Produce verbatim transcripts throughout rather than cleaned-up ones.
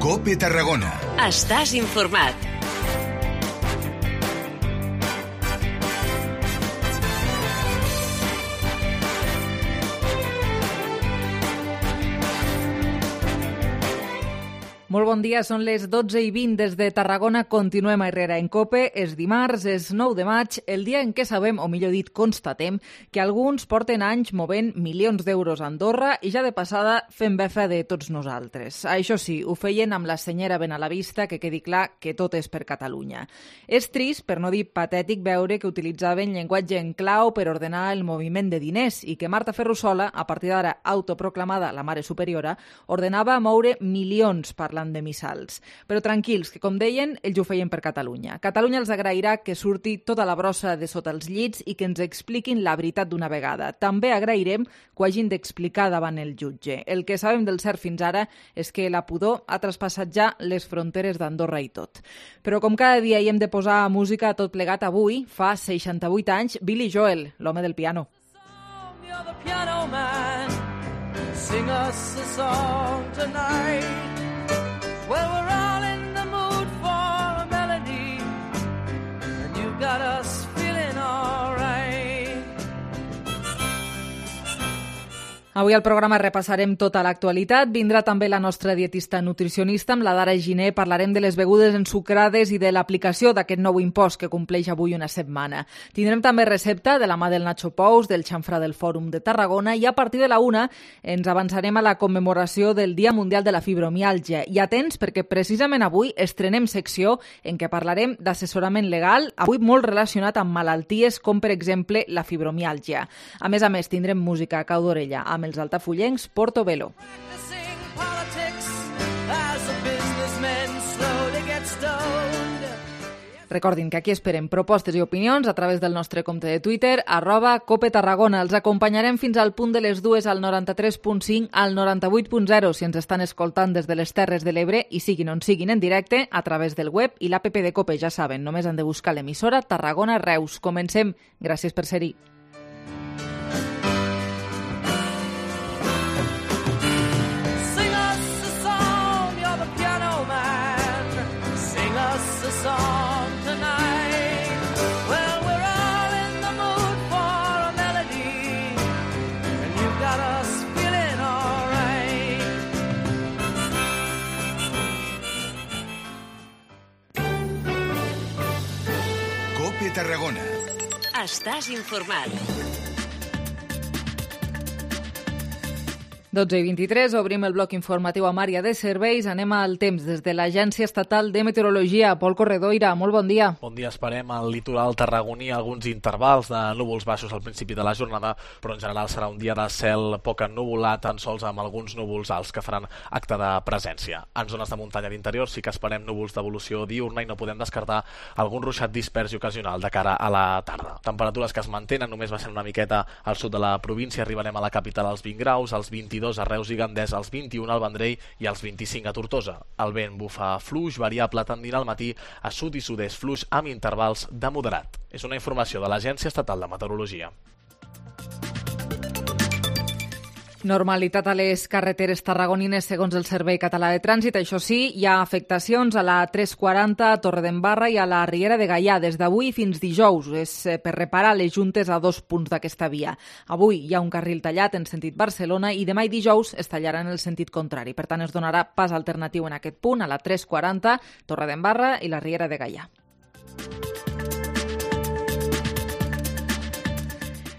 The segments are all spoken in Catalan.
COPE Tarragona. Estàs informat. Molt bon dia, són les dotze i vint des de Tarragona. Continuem a Herrera en COPE. És dimarts, és nou de maig, el dia en què sabem, o millor dit, constatem, que alguns porten anys movent milions d'euros a Andorra i ja de passada fent befa de tots nosaltres. Això sí, ho feien amb la senyera ben a la vista, que quedi clar que tot és per Catalunya. És trist, per no dir patètic, veure que utilitzaven llenguatge en clau per ordenar el moviment de diners i que Marta Ferrusola, a partir d'ara autoproclamada la mare superiora, ordenava moure milions parlant de missals. Però tranquils, que com deien, ells ho feien per Catalunya. Catalunya els agrairà que surti tota la brossa de sota els llits i que ens expliquin la veritat d'una vegada. També agrairem que ho hagin d'explicar davant el jutge. El que sabem del cert fins ara és que la pudor ha traspassat ja les fronteres d'Andorra i tot. Però com cada dia hi hem de posar música a tot plegat, avui, fa seixanta-vuit anys, Billy Joel, l'home del piano. You're the piano man. Sing us a song tonight. Well, we're all in the mood for a melody, and you got us feeling all right. Avui al programa repassarem tota l'actualitat. Vindrà també la nostra dietista nutricionista, amb la Dara Giner. Parlarem de les begudes ensucrades i de l'aplicació d'aquest nou impost que compleix avui una setmana. Tindrem també recepta de la mà del Nacho Pous, del xamfrà del Fòrum de Tarragona, i a partir de la una ens avançarem a la commemoració del Dia Mundial de la Fibromiàlgia. I atents, perquè precisament avui estrenem secció en què parlarem d'assessorament legal, avui molt relacionat amb malalties com, per exemple, la fibromiàlgia. A més a més, tindrem música a cau d'orella amb els altafullencs Portobello. Recordin que aquí esperem propostes i opinions a través del nostre compte de Twitter, arroba Cope Tarragona. Els acompanyarem fins al punt de les dues al noranta-tres punt cinc, al noranta-vuit punt zero si ens estan escoltant des de les Terres de l'Ebre i siguin on siguin en directe a través del web i l'app de Cope, ja saben, només han de buscar l'emissora Tarragona Reus. Comencem. Gràcies per ser-hi. COPE Tarragona. Estàs informat. dotze i vint-i-tres, obrim el bloc informatiu amb àrea de serveis. Anem al temps des de l'Agència Estatal de Meteorologia. Pol Corredoira, molt bon dia. Bon dia, esperem al litoral tarragoní alguns intervals de núvols baixos al principi de la jornada, però en general serà un dia de cel poc ennuvolat, tan sols amb alguns núvols alts que faran acte de presència. En zones de muntanya d'interior sí que esperem núvols d'evolució diurna i no podem descartar algun ruixat dispers i ocasional de cara a la tarda. Temperatures que es mantenen, només baixen una miqueta al sud de la província, arribarem a la capital als vint graus, als vint-i-dos a Reus i Gandès, als vint-i-un al Vendrell i als vint-i-cinc a Tortosa. El vent bufa fluix, variable, tendint al matí a sud i sud-est fluix amb intervals de moderat. És una informació de l'Agència Estatal de Meteorologia. Normalitat a les carreteres tarragonines segons el Servei Català de Trànsit. Això sí, hi ha afectacions a la tres quaranta, a Torredembarra i a la Riera de Gaià des d'avui fins dijous. És per reparar les juntes a dos punts d'aquesta via. Avui hi ha un carril tallat en sentit Barcelona i demà i dijous es tallarà en el sentit contrari. Per tant, es donarà pas alternatiu en aquest punt a la tres quaranta, Torredembarra i la Riera de Gaià.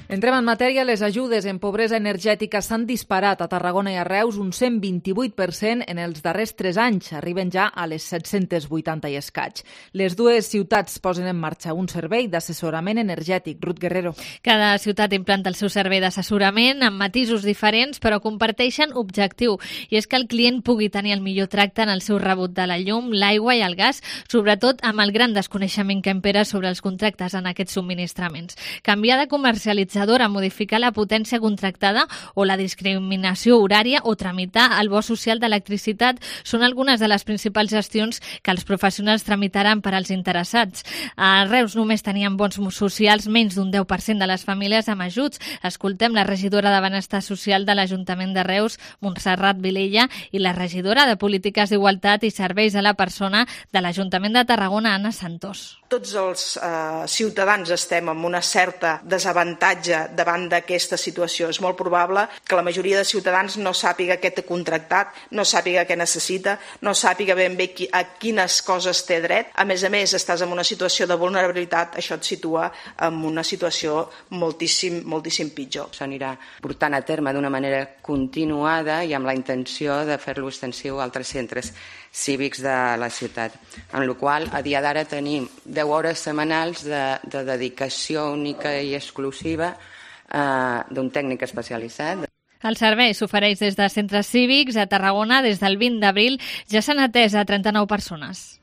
Entrem en matèria. Les ajudes en pobresa energètica s'han disparat a Tarragona i a Reus un cent vint-i-vuit per cent en els darrers tres anys. Arriben ja a les set-cents vuitanta i escaig. Les dues ciutats posen en marxa un servei d'assessorament energètic. Ruth Guerrero. Cada ciutat implanta el seu servei d'assessorament amb matisos diferents, però comparteixen objectiu, i és que el client pugui tenir el millor tracte en el seu rebut de la llum, l'aigua i el gas, sobretot amb el gran desconeixement que impera sobre els contractes en aquests subministraments. Canviar de comercialitzar centralitzadora, modificar la potència contractada o la discriminació horària o tramitar el bo social d'electricitat són algunes de les principals gestions que els professionals tramitaran per als interessats. A Reus només tenien bons socials menys d'un deu per cent de les famílies amb ajuts. Escoltem la regidora de Benestar Social de l'Ajuntament de Reus, Montserrat Vilella, i la regidora de Polítiques d'Igualtat i Serveis a la Persona de l'Ajuntament de Tarragona, Anna Santós. Tots els eh, ciutadans estem en una certa desavantatge davant d'aquesta situació. És molt probable que la majoria de ciutadans no sàpiga què té contractat, no sàpiga què necessita, no sàpiga ben bé qui, a quines coses té dret. A més a més, estàs en una situació de vulnerabilitat, això et situa en una situació moltíssim, moltíssim pitjor. S'anirà portant a terme d'una manera continuada i amb la intenció de fer-lo extensiu a altres centres cívics de la ciutat. Amb la qual cosa, a dia d'ara tenim deu hores setmanals de, de dedicació única i exclusiva eh, d'un tècnic especialitzat. El servei s'ofereix des de centres cívics a Tarragona des del vint d'abril. Ja s'han atès a trenta-nou persones.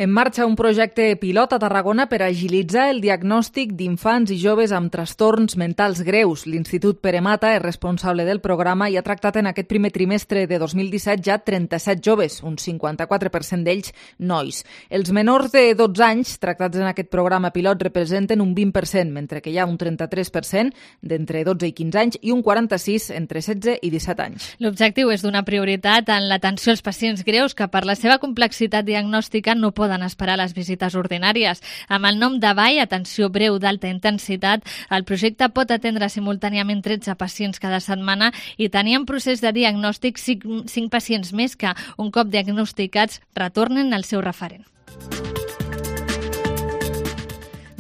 En marxa un projecte pilot a Tarragona per agilitzar el diagnòstic d'infants i joves amb trastorns mentals greus. L'Institut Pere Mata és responsable del programa i ha tractat en aquest primer trimestre de dos mil disset ja trenta-set joves, un cinquanta-quatre per cent d'ells nois. Els menors de dotze anys tractats en aquest programa pilot representen un vint per cent, mentre que hi ha un trenta-tres per cent d'entre dotze i quinze anys i un quaranta-sis entre setze i disset anys. L'objectiu és donar prioritat en l'atenció als pacients greus que per la seva complexitat diagnòstica no poden poden esperar les visites ordinàries. Amb el nom de B A I, atenció breu d'alta intensitat, el projecte pot atendre simultàniament tretze pacients cada setmana i tenir en procés de diagnòstic cinc pacients més que, un cop diagnosticats, retornen al seu referent.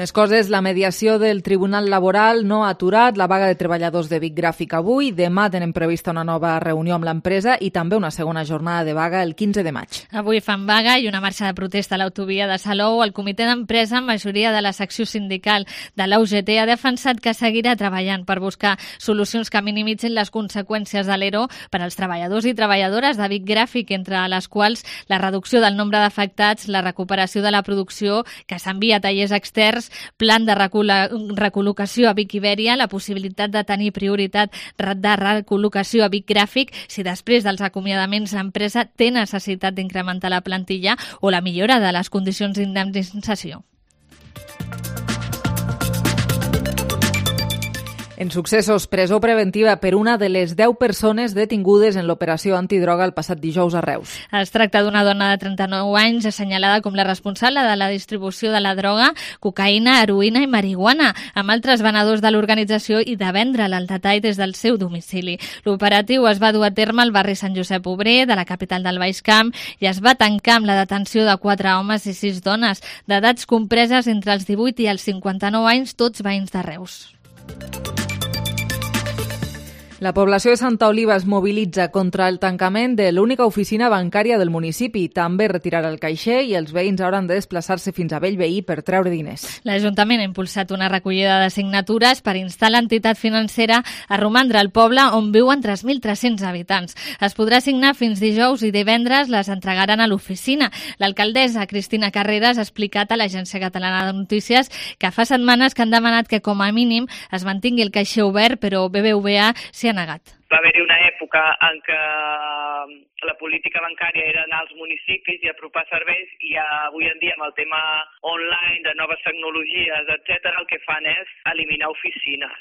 Més coses, la mediació del Tribunal Laboral no ha aturat la vaga de treballadors de Vic Gràfic avui. Demà tenen prevista una nova reunió amb l'empresa i també una segona jornada de vaga el quinze de maig. Avui fan vaga i una marxa de protesta a l'autovia de Salou. El comitè d'empresa, majoria de la secció sindical de la U G T, ha defensat que seguirà treballant per buscar solucions que minimitzin les conseqüències de l'E R O per als treballadors i treballadores de Vic Gràfic, entre les quals la reducció del nombre d'afectats, la recuperació de la producció que s'envia a tallers externs, plan de recol·locació a Vic Ibèria, la possibilitat de tenir prioritat de recol·locació a Vic Gràfic si després dels acomiadaments l'empresa té necessitat d'incrementar la plantilla o la millora de les condicions d'indemnització. En successos, presó preventiva per una de les deu persones detingudes en l'operació antidroga el passat dijous a Reus. Es tracta d'una dona de trenta-nou anys assenyalada com la responsable de la distribució de la droga, cocaïna, heroïna i marihuana, amb altres venedors de l'organització i de vendre-la al detall des del seu domicili. L'operatiu es va dur a terme al barri Sant Josep Obrer, de la capital del Baix Camp, i es va tancar amb la detenció de quatre homes i sis dones, d'edats compreses entre els divuit i els cinquanta-nou anys, tots veïns de Reus. La població de Santa Oliva es mobilitza contra el tancament de l'única oficina bancària del municipi. També retirarà el caixer i els veïns hauran de desplaçar-se fins a Bellveí per treure diners. L'Ajuntament ha impulsat una recollida de signatures per instar l'entitat financera a romandre al poble on viuen tres mil tres-cents habitants. Es podrà signar fins dijous i divendres les entregaran a l'oficina. L'alcaldessa Cristina Carreras ha explicat a l'Agència Catalana de Notícies que fa setmanes que han demanat que com a mínim es mantingui el caixer obert, però B B V A s'hi ha negat. Va haver-hi una època en què la política bancària era anar als municipis i apropar serveis i avui en dia amb el tema online, de noves tecnologies, etcètera, el que fan és eliminar oficines.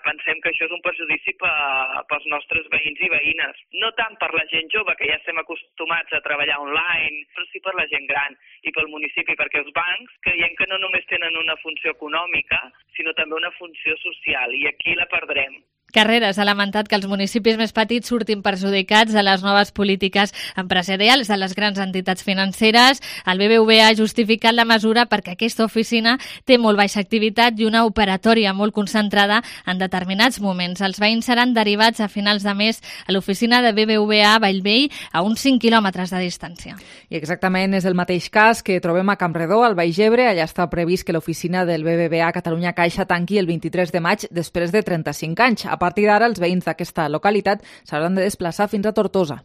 Pensem que això és un perjudici pels nostres veïns i veïnes. No tant per la gent jove, que ja estem acostumats a treballar online, però sí per la gent gran i pel municipi, perquè els bancs creiem que no només tenen una funció econòmica, sinó també una funció social, i aquí la perdrem. Carreras ha lamentat que els municipis més petits surtin perjudicats de les noves polítiques empresarials de les grans entitats financeres. El B B V A ha justificat la mesura perquè aquesta oficina té molt baixa activitat i una operatòria molt concentrada en determinats moments. Els veïns seran derivats a finals de mes a l'oficina de B B V A a Bellvei, a uns cinc quilòmetres de distància. I exactament és el mateix cas que trobem a Campredó, al Baix Ebre. Allà està previst que l'oficina del B B V A Catalunya Caixa tanqui el vint-i-tres de maig després de trenta-cinc anys. A partir d'ara, els veïns d'aquesta localitat s'hauran de desplaçar fins a Tortosa.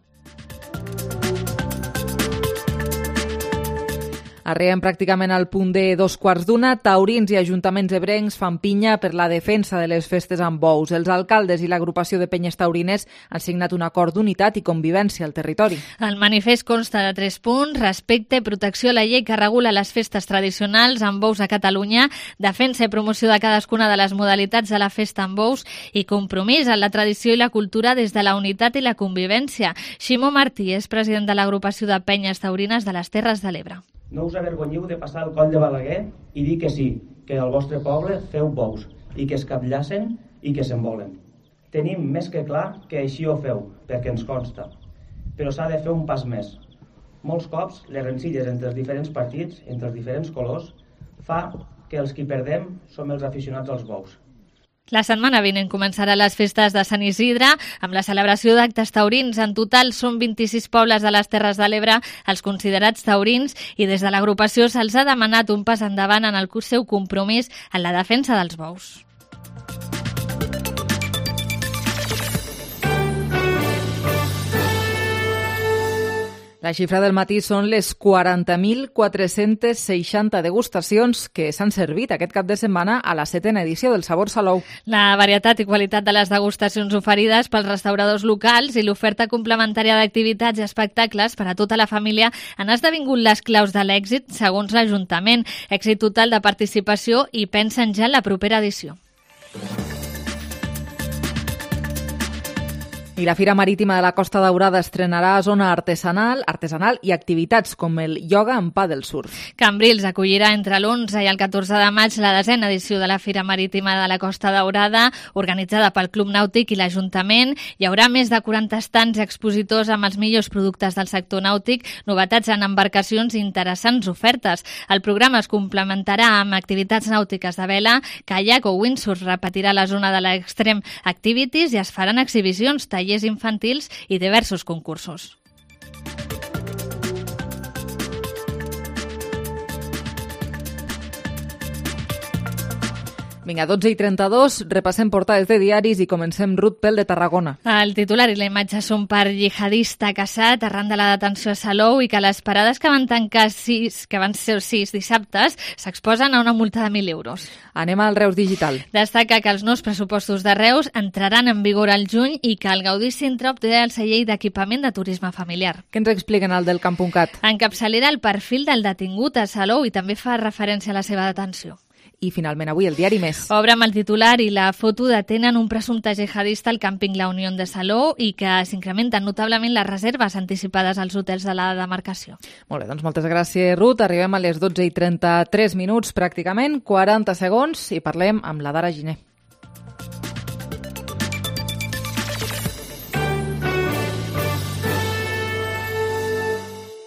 Arribem pràcticament al punt de dos quarts d'una. Taurins i ajuntaments ebrencs fan pinya per la defensa de les festes amb bous. Els alcaldes i l'agrupació de penyes taurines han signat un acord d'unitat i convivència al territori. El manifest consta de tres punts: respecte, protecció a la llei que regula les festes tradicionals amb bous a Catalunya, defensa i promoció de cadascuna de les modalitats de la festa amb bous i compromís en la tradició i la cultura des de la unitat i la convivència. Ximo Martí és president de l'agrupació de penyes taurines de les Terres de l'Ebre. No us avergonyiu de passar el coll de Balaguer i dir que sí, que al vostre poble feu bous i que es capllacen i que se'n volen. Tenim més que clar que així ho feu, perquè ens consta. Però s'ha de fer un pas més. Molts cops les rencilles entre els diferents partits, entre els diferents colors, fa que els qui perdem som els aficionats als bous. La setmana vinent començarà les festes de Sant Isidre amb la celebració d'actes taurins. En total són vint-i-sis pobles de les Terres de l'Ebre els considerats taurins i des de l'agrupació se'ls ha demanat un pas endavant en el seu compromís en la defensa dels bous. La xifra del matí són les quaranta mil quatre-cents seixanta degustacions que s'han servit aquest cap de setmana a la setena edició del Sabor Salou. La varietat i qualitat de les degustacions oferides pels restauradors locals i l'oferta complementària d'activitats i espectacles per a tota la família han esdevingut les claus de l'èxit, segons l'Ajuntament. Èxit total de participació i pensen ja en la propera edició. I la Fira Marítima de la Costa Daurada estrenarà zona artesanal, artesanal i activitats com el ioga en paddle surf. Cambrils acollirà entre l'onze i el catorze de maig la desena edició de la Fira Marítima de la Costa Daurada, organitzada pel Club Nàutic i l'Ajuntament. Hi haurà més de quaranta estants i expositors amb els millors productes del sector nàutic, novetats en embarcacions i interessants ofertes. El programa es complementarà amb activitats nàutiques de vela, caiac o windsurf. Repetirà la zona de l'Extreme Activities i es faran exhibicions, tallers infantils i diversos concursos. Vinga, dotze i trenta-dos, repassem portades de diaris i comencem Ruth Pel de Tarragona. El titular i la imatge són per jihadista casat arran de la detenció a Salou i que les parades que van tancar sis, que van ser sis dissabtes s'exposen a una multa de mil euros. Anem al Reus Digital. Destaca que els nous pressupostos de Reus entraran en vigor al juny i que el Gaudí Sintra obté el celler d'equipament de turisme familiar. Què ens expliquen al del Camp.cat? Encapçalera el perfil del detingut a Salou i també fa referència a la seva detenció. I finalment avui el diari Més. Obre amb el titular i la foto detenen un presumpte jihadista al càmping La Unió de Salou i que s'incrementen notablement les reserves anticipades als hotels de la demarcació. Molt bé, doncs moltes gràcies, Ruth. Arribem a les dotze i trenta-tres minuts, pràcticament, quaranta segons, i parlem amb la Dara Giner.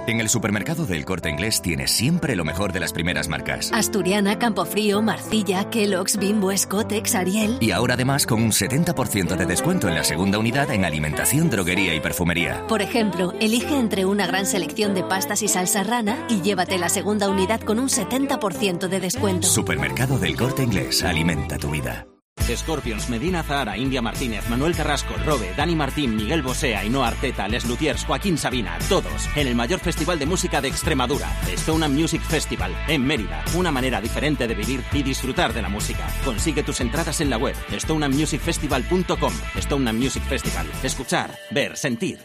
En el supermercado del Corte Inglés tienes siempre lo mejor de las primeras marcas. Asturiana, Campofrío, Marcilla, Kellogg's, Bimbo, Scottex, Ariel. Y ahora además con un setenta por ciento de descuento en la segunda unidad en alimentación, droguería y perfumería. Por ejemplo, elige entre una gran selección de pastas y salsa rana y llévate la segunda unidad con un setenta por ciento de descuento. Supermercado del Corte Inglés. Alimenta tu vida. Scorpions, Medina Zahara, India Martínez, Manuel Carrasco, Robe, Dani Martín, Miguel Bosé, Ainhoa Arteta, Les Luthiers, Joaquín Sabina, todos en el mayor festival de música de Extremadura, Stone Music Festival, en Mérida. Una manera diferente de vivir y disfrutar de la música. Consigue tus entradas en la web stone music festival punto com. Stone Music Festival. Escuchar, ver, sentir.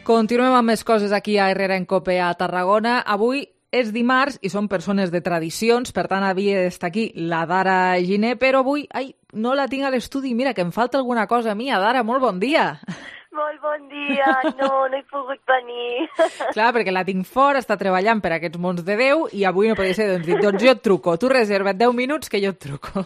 Continuem amb més coses aquí a Herrera en Cope a Tarragona. Avui és dimarts i són persones de tradicions, per tant havia d'estar aquí la Dara Giner, però avui ai, no la tinc a l'estudi. Mira, que em falta alguna cosa a mi. Dara, molt bon dia. Molt bon dia, no, no he pogut venir. Clar, perquè la tinc fora, està treballant per aquests mons de Déu i avui no podia ser, doncs dic, doncs jo et truco. Tu reserva't deu minuts que jo et truco.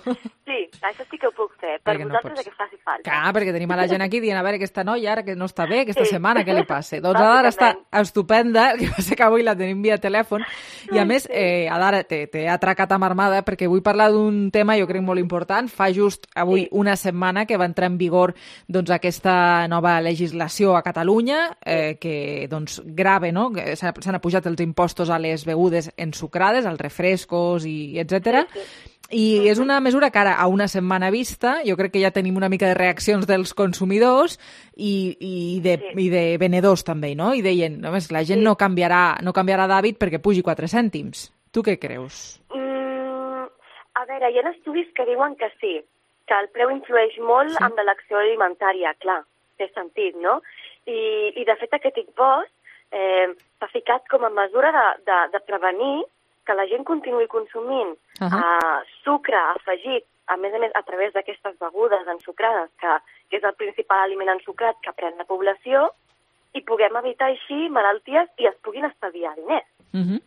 Sí, això sí que ho puc fer, per perquè vosaltres no que faci falta. Clar, perquè tenim a la gent aquí dient, a veure, aquesta noia ara que no està bé, aquesta Sí. setmana, què li passa? Doncs Adara està estupenda, el que passa que avui la tenim via telèfon i a més, eh, Adara, t'he atracat amb armada perquè vull parlar d'un tema jo crec molt important. Fa just avui sí. una setmana que va entrar en vigor doncs, aquesta nova legislació a Catalunya eh, que doncs, grave, no? S'han apujat els impostos a les begudes ensucrades, als refrescos i etcètera. Sí, sí. I és una mesura que ara, a una setmana vista, jo crec que ja tenim una mica de reaccions dels consumidors i, i, de, sí. i de venedors també, no? I deien, només la gent sí. no canviarà, no canviarà d'hàbit perquè pugi quatre cèntims. Tu què creus? Mm, a veure, hi ha estudis que diuen que sí, que el preu influeix molt sí. en l'elecció alimentària, clar, té sentit, no? I, i de fet aquest impost eh, s'ha ficat com a mesura de, de, de prevenir que la gent continuï consumint uh-huh. uh, sucre afegit, a més a més a través d'aquestes begudes ensucrades, que, que és el principal aliment ensucrat que pren la població, i puguem evitar així malalties i es puguin estalviar diners. Uh-huh.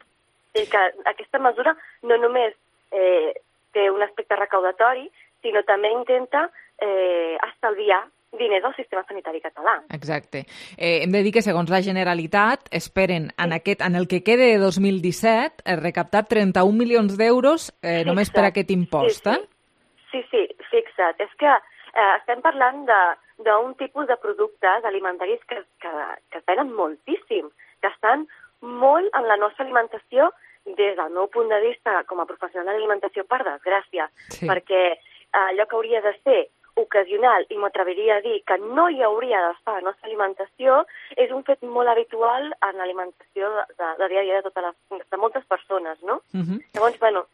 I que aquesta mesura no només eh, té un aspecte recaudatori, sinó també intenta eh, estalviar diners al sistema sanitari català. Exacte. Eh, hem de dir que, segons la Generalitat, esperen sí. en, aquest, en el que quede de dos mil disset eh, recaptar trenta-un milions d'euros eh, només per aquest impost. Sí, sí, sí, sí fixa't. És que eh, estem parlant d'un tipus de productes alimentaris que, que, que es venen moltíssim, que estan molt en la nostra alimentació des del meu punt de vista com a professional d'alimentació, per desgràcia, sí. perquè eh, allò que hauria de ser ocasional, i m'atreviria a dir que no hi hauria d'estar a la nostra alimentació, és un fet molt habitual en l'alimentació de, de, de dia a dia de, totes les, de moltes persones, no? Uh-huh. Llavors, bueno,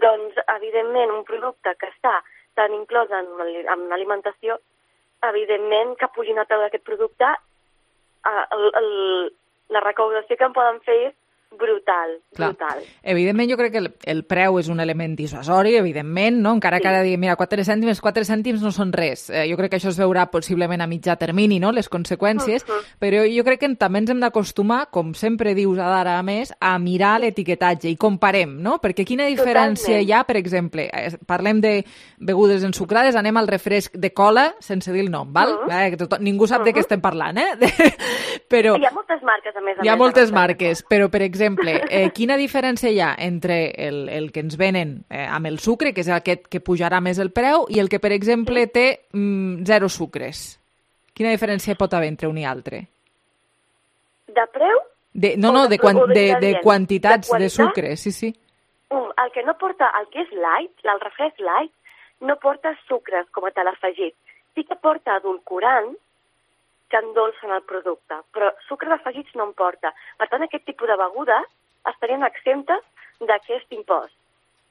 doncs, evidentment, un producte que està tan inclòs en, en l'alimentació, evidentment que pugin a preu d'aquest producte, el, el, la recaudació que en poden fer és brutal, Clar. brutal. Evidentment, jo crec que el, el preu és un element dissuasori, evidentment, no? Encara sí. que ara diguem, mira, quatre cèntims, quatre cèntims no són res. Eh, jo crec que això es veurà possiblement a mitjà termini, no?, les conseqüències, uh-huh. però jo crec que també ens hem d'acostumar, com sempre dius ara a més, a mirar l'etiquetatge i comparem, no? Perquè quina diferència Totalment. hi ha, per exemple, eh, parlem de begudes ensucrades, anem al refresc de cola, sense dir el nom, val? Uh-huh. Eh, que tot, ningú sap uh-huh. de què estem parlant, eh? però... Hi ha moltes marques, a més a Hi ha més, moltes marques, però, per exemple, exemple, eh, quina diferència hi ha entre el, el que ens venen eh, amb el sucre, que és aquest que pujarà més el preu, i el que, per exemple, té mm, zero sucres? Quina diferència pot haver entre un i altre? De preu? De, no, no, de, quan, de, de quantitats de, de sucre, sí, sí. Um, el que no porta, el que és light, el refresc light, no porta sucres com a tal afegit. Sí que porta edulcorant, que endolcen el producte, però sucres afegits no en porta. Per tant, aquest tipus de begudes estarien exemptes d'aquest impost.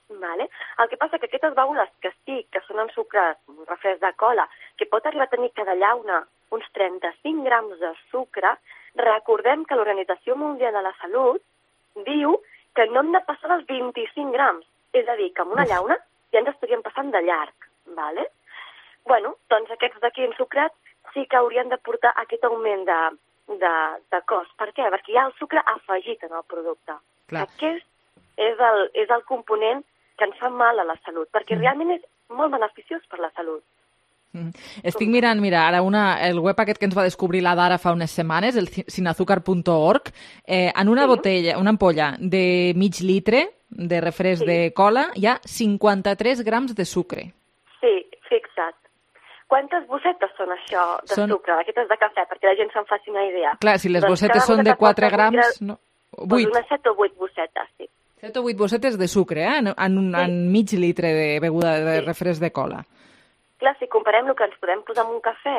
Vale? El que passa que aquestes begudes que sí, que són ensucrades, un refresc de cola, que pot arribar a tenir cada llauna uns trenta-cinc grams de sucre, recordem que l'Organització Mundial de la Salut diu que no hem de passar dels vint-i-cinc grams. És a dir, que amb una llauna ja ens estaríem passant de llarg. Vale? Bueno, doncs aquests d'aquí ensucrats sí que haurien de portar aquest augment de, de, de cost. Per què? Perquè hi ha el sucre afegit en el producte. Clar. Aquest és el, és el component que ens fa mal a la salut, perquè mm. realment és molt beneficiós per la salut. Mm. Estic mirant, mira, ara una, el web aquest que ens va descobrir la Dara fa unes setmanes, el sin azúcar punt org, eh, en una sí. botella, una ampolla de mig litre de refresc sí. de cola, hi ha cinquanta-tres grams de sucre. Sí, fixa't. Quantes bossetes són això de són... sucre, d'aquestes de cafè, perquè la gent se'n faci una idea? Clar, si les doncs bossetes són de quatre grams... Sucre, no, vuit. Doncs unes set o vuit bossetes, sí. set o vuit bossetes de sucre, eh? En, en, sí. en mig litre de beguda de sí. refresc de cola. Clar, si comparem el que ens podem posar en un cafè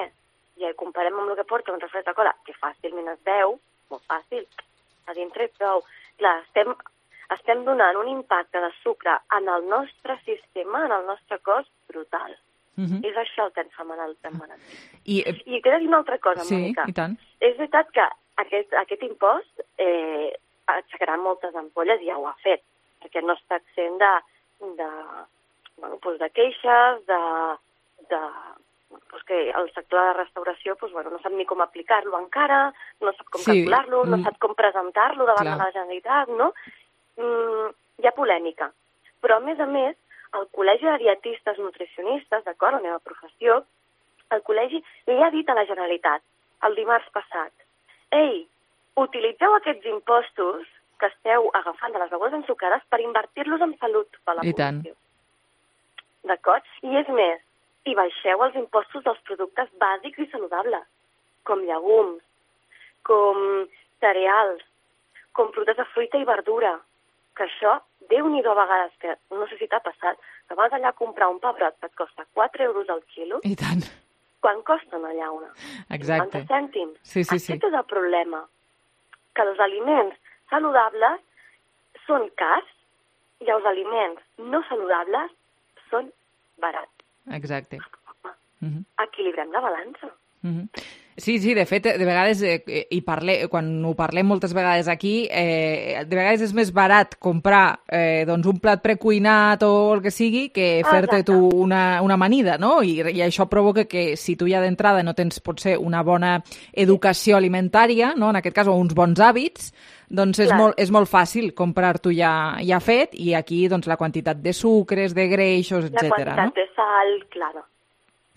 i el comparem amb el que porta un refresc de cola, que fàcilment es veu, molt fàcil, a dintre prou. Clar, estem, estem donant un impacte de sucre en el nostre sistema, en el nostre cos, brutal. Uh-huh. És això el que ens fa mal al temperat. I, I t'he de dir una altra cosa, sí, Mònica. I tant. És veritat que aquest, aquest impost eh, aixecarà moltes ampolles, i ja ho ha fet, perquè no està exempt de, de, bueno, doncs de queixes, de, de doncs que el sector de la restauració doncs, bueno, no sap ni com aplicar-lo encara, no sap com sí. calcular-lo, no sap com presentar-lo davant Clar. de la Generalitat, no? Mm, hi ha polèmica. Però, a més a més, el Col·legi de Dietistes Nutricionistes, d'acord, la meva professió, el col·legi li ha dit a la Generalitat el dimarts passat: ei, utilitzeu aquests impostos que esteu agafant de les begudes ensucrades per invertir-los en salut per la I població. D'acord? I és més, i baixeu els impostos dels productes bàsics i saludables, com llegums, com cereals, com fruites de fruita i verdura, que això Déu-n'hi-do a vegades, que no sé si t'ha passat, que vas allà a comprar un pebrot que et costa quatre euros al quilo. I tant. Quan costen allà una? Exacte. cinquanta cèntims. Sí, sí, sí. Aquest és el problema, que els aliments saludables són cars i els aliments no saludables són barats. Exacte. Uh-huh. Equilibrem la balança. Uh-huh. Sí, sí, de fet, de vegades, eh, i parle, quan ho parlem moltes vegades aquí, eh, de vegades és més barat comprar eh, doncs un plat precuinat o el que sigui que fer-te tu una, una amanida, no? I, I això provoca que si tu ja d'entrada no tens, potser, una bona educació alimentària, no? En aquest cas, o uns bons hàbits, doncs és molt, és molt fàcil comprar-t'ho ja, ja fet, i aquí doncs, la quantitat de sucres, de greixos, etcètera. La quantitat no? de sal, claro.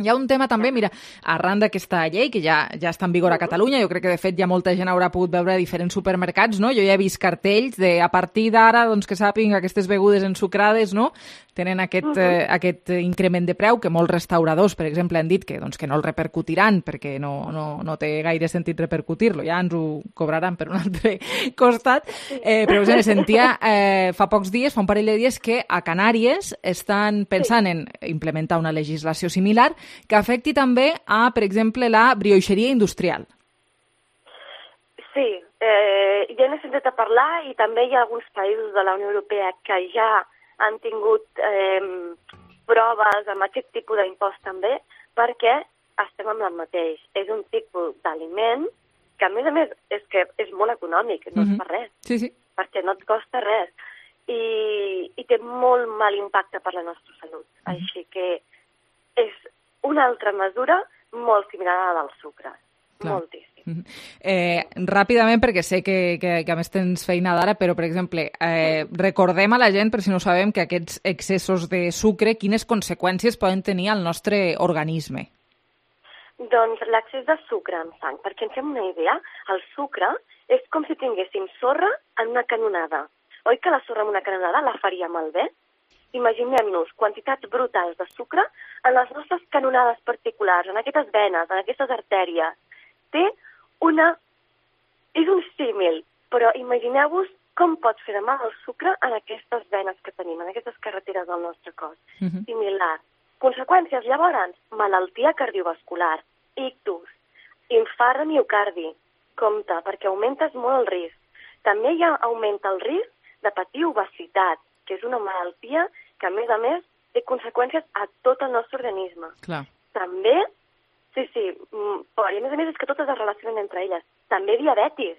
Hi ha un tema també, mira, arran d'aquesta llei, que ja ja està en vigor a Catalunya, jo crec que de fet ja molta gent haurà pogut veure a diferents supermercats, no? Jo ja he vist cartells de a partir d'ara, doncs que sàpiguen que aquestes begudes ensucrades, no?, tenen aquest, uh-huh. eh, aquest increment de preu, que molts restauradors, per exemple, han dit que, doncs, que no el repercutiran, perquè no, no, no té gaire sentit repercutir-lo, ja ens ho cobraran per un altre costat. Eh, però, us sentia eh, fa pocs dies, fa un parell de dies, que a Canàries estan pensant en implementar una legislació similar que afecti també a, per exemple, la brioixeria industrial. Sí, eh, ja n'he sentit a parlar, i també hi ha alguns països de la Unió Europea que ja han tingut eh, proves amb aquest tipus d'impost també, perquè estem amb el mateix. És un tipus d'aliment que, a més a més, és que és molt econòmic, no Mm-hmm. és per res, Sí, sí. perquè no et costa res, i, i té molt mal impacte per la nostra salut. Mm-hmm. Així que és una altra mesura molt similar a la del sucre. Clar. Moltíssim. Eh, ràpidament, perquè sé que, que, que a més tens feina d'ara, però, per exemple, eh, recordem a la gent, per si no ho sabem, que aquests excessos de sucre, quines conseqüències poden tenir al nostre organisme? Doncs l'excés de sucre en sang, perquè ens fem una idea, el sucre és com si tinguéssim sorra en una canonada. Oi que la sorra en una canonada la faria malbé? Imaginem-nos quantitats brutals de sucre en les nostres canonades particulars, en aquestes venes, en aquestes artèries. Té una... És un símil, però imagineu-vos com pot fer de mal el sucre en aquestes venes que tenim, en aquestes carreteres del nostre cos. Mm-hmm. Similar. Conseqüències, llavors, malaltia cardiovascular, ictus, infart de miocardi. Compte, perquè augmentes molt el risc. També ja augmenta el risc de patir obesitat, que és una malaltia que, a més a més, té conseqüències a tot el nostre organisme. Clar. També, sí, sí, però i a més a més és que totes es relacionen entre elles. També diabetis,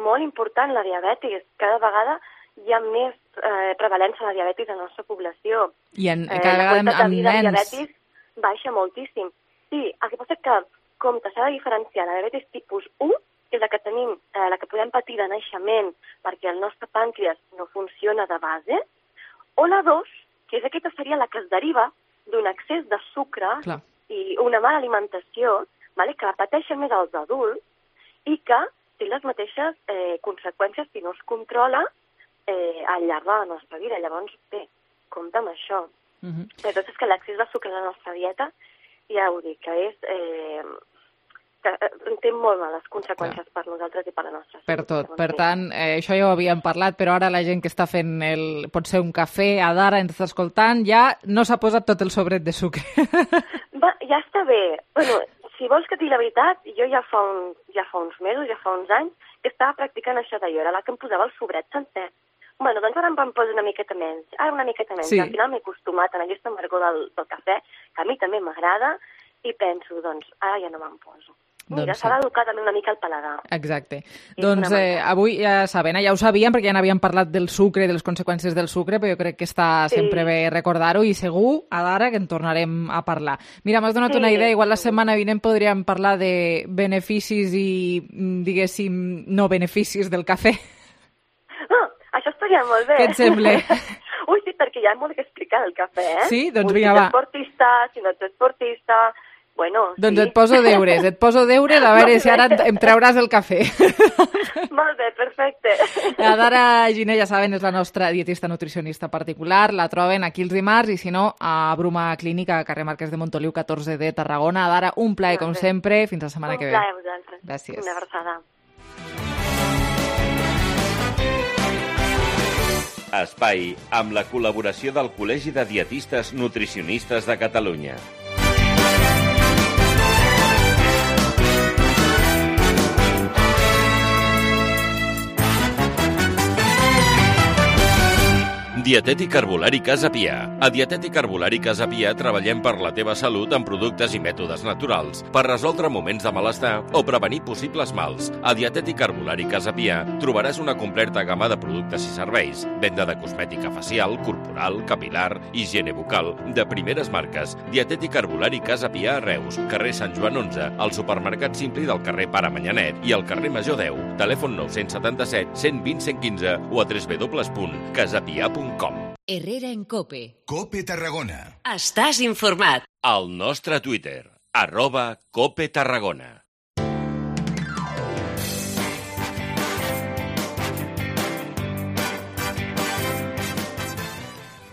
molt important la diabetis. Cada vegada hi ha més eh, prevalença de la diabetis a la nostra població. I en, Eh, cada la vegada amb, quantitat de amb vida de nens. diabetis baixa moltíssim. Sí, el que passa és que, com s'ha de diferenciar la diabetis tipus u, que és la que tenim, eh, la que podem patir de naixement perquè el nostre pàncreas no funciona de base, o la dos, que és aquesta seria la que es deriva d'un excés de sucre Clar. i una mala alimentació, vale, que la pateixen més els adults i que té les mateixes eh, conseqüències si no es controla eh, al llarg de la nostra vida. Llavors, bé, compte amb això. Mm-hmm. Però tot és que l'accés de sucre a la nostra dieta, ja ho dic, que és... Eh, que té molt males conseqüències Clar. Per nosaltres i per la nostra salut. Per tot. Per tant, eh, això ja ho havíem parlat, però ara la gent que està fent el, potser un cafè a d'ara, ens està escoltant, ja no s'ha posat tot el sobret de sucre. Va, ja està bé. Bueno, si vols que et digui la veritat, jo ja fa, un, ja fa uns mesos, ja fa uns anys, que estava practicant això de jo, era la que em posava el sobret sencer. Bueno, doncs ara em van posar una miqueta menys, ara una miqueta menys. Sí. Al final m'he acostumat a aquesta amargor del, del cafè, que a mi també m'agrada, i penso, doncs, ara ja no me'n poso. Mira, Doncs s'ha d'educar també una mica el paladar. Exacte. És Doncs eh, avui ja saben, eh, ja ho sabíem perquè ja n'havíem parlat del sucre i de les conseqüències del sucre, però jo crec que està Sí. sempre bé recordar-ho i segur, a d'ara, que en tornarem a parlar. Mira, m'has donat Sí. una idea, igual la setmana vinent podríem parlar de beneficis i, mm, diguéssim, no beneficis del cafè. Ah, això estaria molt bé. Què et sembla? Ui, sí, perquè hi ha molt que explicar del cafè, eh? Sí? Doncs Ui, vinga, si va. ets esportista, si no ets esportista... Bueno, Doncs sí. et poso deures, et poso deures, a veure si ara em trauràs el cafè. Molt bé, perfecte. La Dara Giner, ja saben, és la nostra dietista nutricionista particular. La troben aquí els dimarts i, si no, a Bruma Clínica, a carrer Marquès de Montoliu, catorze de Tarragona. Dara, un plaer, com sempre. Fins la setmana Un que ve. plaer a vosaltres. Gràcies. Una abraçada. Espai amb la col·laboració del Col·legi de Dietistes Nutricionistes de Catalunya. Dietètic Herbolari Casa Pia. A Dietètic Herbolari Casa Pia treballem per la teva salut amb productes i mètodes naturals, per resoldre moments de malestar o prevenir possibles mals. A Dietètic Herbolari Casa Pia trobaràs una completa gamma de productes i serveis, venda de cosmètica facial, corporal, capilar, higiene bucal, de primeres marques. Dietètic Herbolari Casa Pia a Reus, carrer Sant Joan onze, al supermercat Simpli del carrer Pare Manyanet i al carrer Major deu. Telèfon nou set set, cent vint, cent quinze o a w w w punt casapia punt com. Herrera en Cope. Cope Tarragona. Estàs informat. Al nostre Twitter, arroba Cope Tarragona.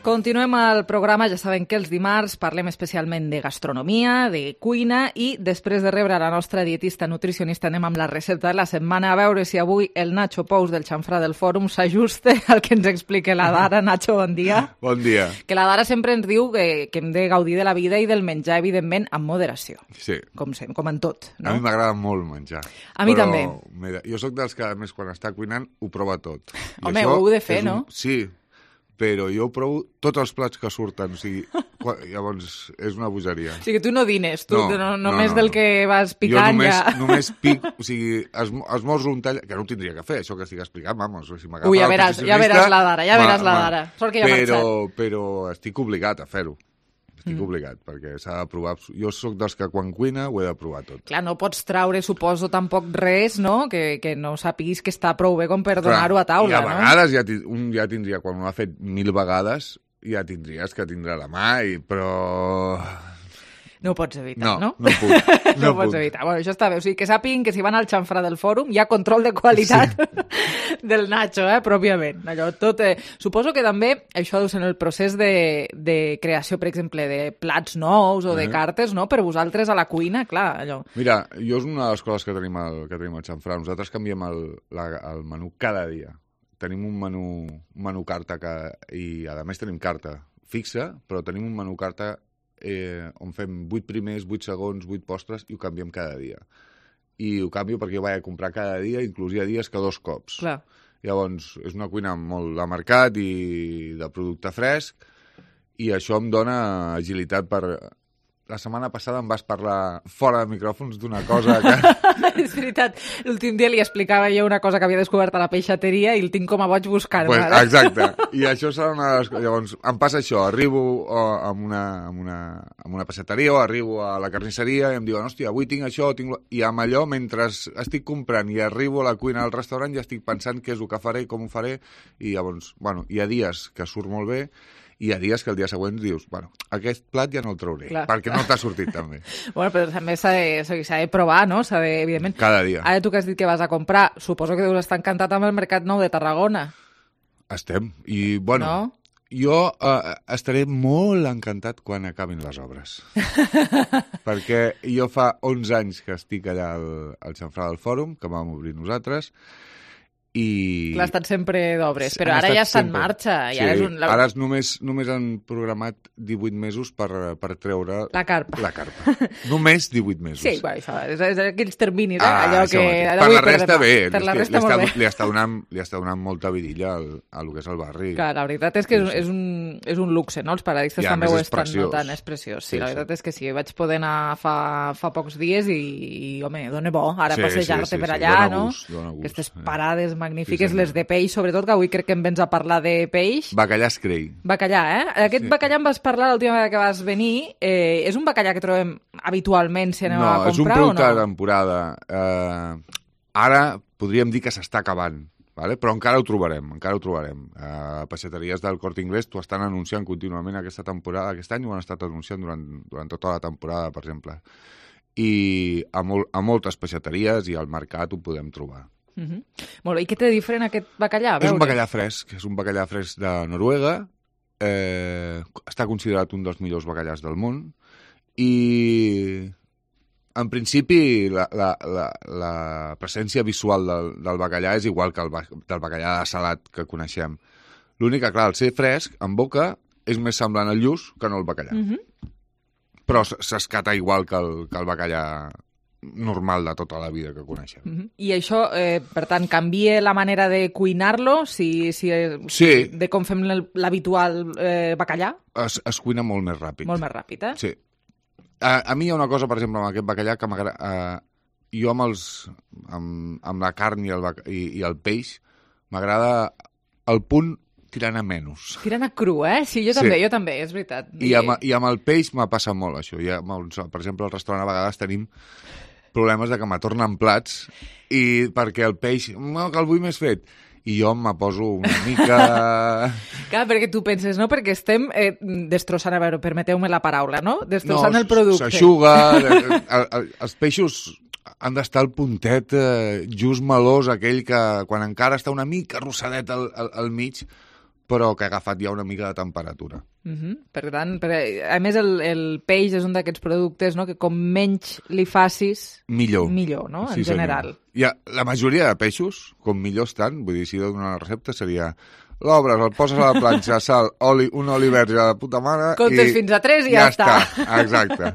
Continuem el programa, ja saben que els dimarts parlem especialment de gastronomia, de cuina i després de rebre la nostra dietista nutricionista anem amb la recepta de la setmana a veure si avui el Nacho Pous del xamfrà del Fòrum s'ajusta al que ens explica la Dara. Nacho, bon dia. Bon dia. Que la Dara sempre ens diu que, que hem de gaudir de la vida i del menjar, evidentment, amb moderació. Sí. Com, sem, com en tot, no? A mi m'agrada molt menjar. A mi però, també. Mira, jo sóc dels que, a més, quan està cuinant, ho prova tot. I Home, ho heu de fer, un... no? Sí, però jo provo tots els plats que surten, o sigui, llavors és una bogeria. O sigui, tu no dines, tu no, no, no, només no, del que vas picant jo només, ja... només pic, o sigui, esmo, esmorzo un tall, que no ho tindria que fer, això que estic explicant, vamos, si m'agafa Ui, ja veràs, ja veràs la Dara, ja veràs la Dara. Sort que ja ha però, marxat. però estic obligat a fer-ho. Estic mm. obligat, perquè s'ha de provar... Jo sóc dels que quan cuina ho he de provar tot. Clar, no pots traure, suposo, tampoc res, no?, que, que no sàpiguis que està prou bé com per donar-ho a taula, no? I a vegades ja, un ja tindria, quan ho ha fet mil vegades, ja tindries que tindrà la mà, i, però... No ho pots evitar, no? No, no puc. No, no pots puc. evitar. Bueno, això està bé. O sigui, que sàpiguen que si van al xamfrà del Fòrum hi ha control de qualitat sí. del Nacho, eh, pròpiament. Allò, tot, eh... Suposo que també això deu ser en el procés de, de creació, per exemple, de plats nous o de uh -huh. cartes, no?, per vosaltres a la cuina, clar, allò. Mira, jo és una de les coses que tenim al, que tenim al xamfrà. Nosaltres canviem el, la, el menú cada dia. Tenim un menú, un menú carta que, i, a més, tenim carta fixa, però tenim un menú carta eh, on fem vuit primers, vuit segons, vuit postres i ho canviem cada dia. I ho canvio perquè jo vaig a comprar cada dia, inclús hi ha dies que dos cops. Clar. Llavors, és una cuina molt de mercat i de producte fresc i això em dona agilitat per... La setmana passada em vas parlar fora de micròfons d'una cosa que... És veritat. L'últim dia li explicava jo una cosa que havia descobert a la peixateria i el tinc com a boig buscant-ho. Pues, exacte. I això serà una de les coses. Llavors, em passa això. Arribo a una, a una, a una peixateria o arribo a la carnisseria i em diuen, hòstia, avui tinc això, tinc... I amb allò, mentre estic comprant i arribo a la cuina del restaurant, ja estic pensant què és el que faré, com ho faré, i llavors, bueno, hi ha dies que surt molt bé, i hi ha dies que el dia següent dius, bueno, aquest plat ja no el trauré, Clar. perquè no t'ha sortit tan bé. Bueno, però també s'ha de, s'ha de provar, no? S'ha de, evidentment... Cada dia. Ara tu que has dit que vas a comprar, suposo que deus estar encantat amb el Mercat Nou de Tarragona. Estem. I, bueno, no? jo uh, estaré molt encantat quan acabin les obres. Perquè jo fa onze anys que estic allà al, al xamfrà del Fòrum, que vam obrir nosaltres, i... Clar, ha estat sempre d'obres, però ara ja està en marxa. I sí, ara és un... ara és només, només han programat divuit mesos per, per treure... La carpa. La carpa. Només divuit mesos. Sí, bueno, això, és, és aquells terminis, eh? Ah, allò que... Per la resta bé. Per la resta li, molt està, bé. Li està, donant, li està donant molta vidilla al, al que és el barri. Clar, la veritat és que és, és, un, és un luxe, no? Els paradistes també ho estan notant, és preciós. Sí, sí, la veritat sí. és que sí, vaig poder anar fa, fa pocs dies i, i home, dona bo, ara sí, passejar-te sí, sí, per allà, sí, no? Gust, aquestes parades magnífiques, sí, les de peix, sobretot, que avui crec que em vens a parlar de peix. Bacallà Escrei. Bacallà, eh? Aquest sí. bacallà em vas parlar l'última vegada que vas venir. Eh, és un bacallà que trobem habitualment si anem no, a comprar o no? No, és un producte de temporada. Eh, ara podríem dir que s'està acabant, vale? Però encara ho trobarem, encara ho trobarem. Eh, peixateries del Corte Inglés t'ho estan anunciant contínuament aquesta temporada, aquest any ho han estat anunciant durant, durant tota la temporada, per exemple. I a, mol, a moltes peixateries i al mercat ho podem trobar. Uh -huh. Molt bé. I què té diferent aquest bacallà? És un bacallà fresc, és un bacallà fresc de Noruega, eh, està considerat un dels millors bacallars del món i en principi la, la, la, la presència visual del, del bacallà és igual que el del bacallà de salat que coneixem. L'únic que, clar, al ser fresc, en boca, és més semblant al lluç que no el bacallà. Mm-hmm. Però s'escata igual que el, que el bacallà normal de tota la vida que coneixem. Mm-hmm. I això, eh, per tant, canvia la manera de cuinar-lo? Si, si, sí. De com fem l'habitual eh, bacallà? Es, es cuina molt més ràpid. Molt més ràpid, eh? Sí. A, a mi hi ha una cosa, per exemple, amb aquest bacallà que m'agrada... Eh, jo amb, els, amb, amb la carn i el, i, i el peix m'agrada el punt tirant a menys. Tirant a cru, eh? Sí, jo també, sí. jo també, és veritat. I amb, I amb el peix m'ha passat molt, això. I amb, per exemple, al restaurant a vegades tenim problemes de que m'atornen plats i perquè el peix, no, que el vull més fet. I jo me poso una mica... Clar, perquè tu penses, no? Perquè estem eh, destrossant, a veure, permeteu-me la paraula, no? Destrossant no, el producte. S'aixuga, els peixos han d'estar al puntet eh, just melós, aquell que quan encara està una mica rossadet al, al, al mig, però que ha agafat ja una mica de temperatura. Mm-hmm. Per tant, per, a més el, el peix és un d'aquests productes, no?, que com menys li facis, millor, millor no?, en sí, general. Ja, la majoria de peixos, com millor estan, vull dir, si dono una recepta, seria... L'obres, el poses a la planxa, sal, oli, un oli verge de puta mare... Comptes i fins a tres i ja, ja està. està. Exacte.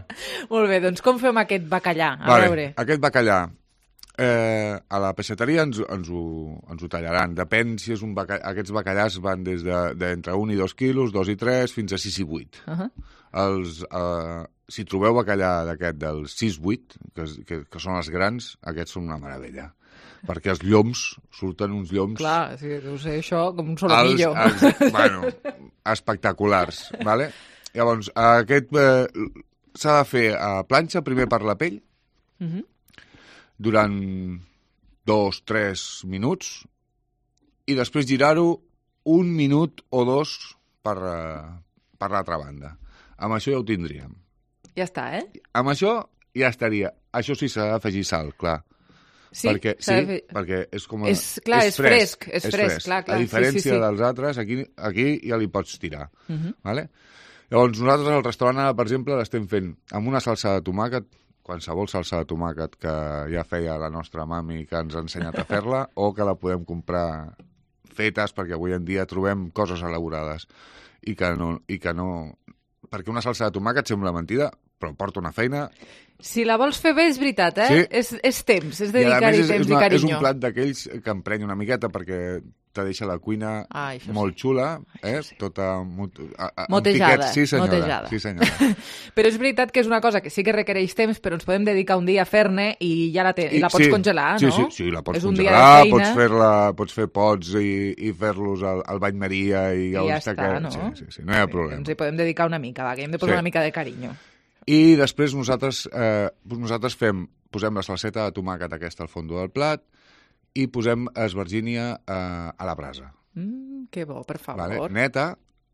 Molt bé, doncs com fem aquest bacallà? A vale, veure. Aquest bacallà, eh, a la peixateria ens, ens, ho, ens ho tallaran. Depèn si és un bacallà... Aquests bacallars van des d'entre de, de un i dos quilos, dos i tres, fins a sis i vuit. Uh-huh. Els, eh, si trobeu bacallà d'aquest del sis vuit, que, que, que són els grans, aquests són una meravella. Perquè els lloms, surten uns lloms... Clar, sí, deu ser això com un solomillo. Els, els, bueno, espectaculars, vale? Llavors, aquest eh, s'ha de fer a planxa, primer per la pell, uh-huh. durant dos, tres minuts, i després girar-ho un minut o dos per, per l'altra banda. Amb això ja ho tindríem. Ja està, eh? Amb això ja estaria. Això sí, s'ha d'afegir sal, clar. Sí, perquè, sí, fer... perquè és com... A... És, clar, és fresc. És és fresc, fresc. clar, clar. A diferència sí, sí, sí. dels altres, aquí, aquí ja li pots tirar. Uh-huh. Vale? Llavors, nosaltres al restaurant, per exemple, l'estem fent amb una salsa de tomàquet, qualsevol salsa de tomàquet que ja feia la nostra mami que ens ha ensenyat a fer-la, o que la podem comprar fetes, perquè avui en dia trobem coses elaborades. I que no... I que no... Perquè una salsa de tomàquet sembla mentida, però porta una feina... Si la vols fer bé, és veritat, eh? Sí. És, és temps, és dedicar-hi és, temps és una, i carinyo. És un plat d'aquells que emprenya una miqueta perquè te deixa la cuina ah, molt sí. xula, eh? Sí. Tota mot, a, a, motejada. Sí, senyora. Motejada. Sí, senyora. Però és veritat que és una cosa que sí que requereix temps, però ens podem dedicar un dia a fer-ne i ja la, te... I, I la pots sí, congelar, sí, no? Sí, sí, la pots és congelar, pots fer-la, pots fer pots i, i fer-los al, al bany Maria i, I ja està, que... no? Sí, sí, sí, no hi ha problema. Ens hi podem dedicar una mica, va, que hem de posar sí. una mica de carinyo. I després nosaltres, eh, nosaltres fem, posem la salseta de tomàquet aquesta al fons del plat i posem esvergínia eh, a la brasa. Mm, que bo, per favor. Vale? Neta,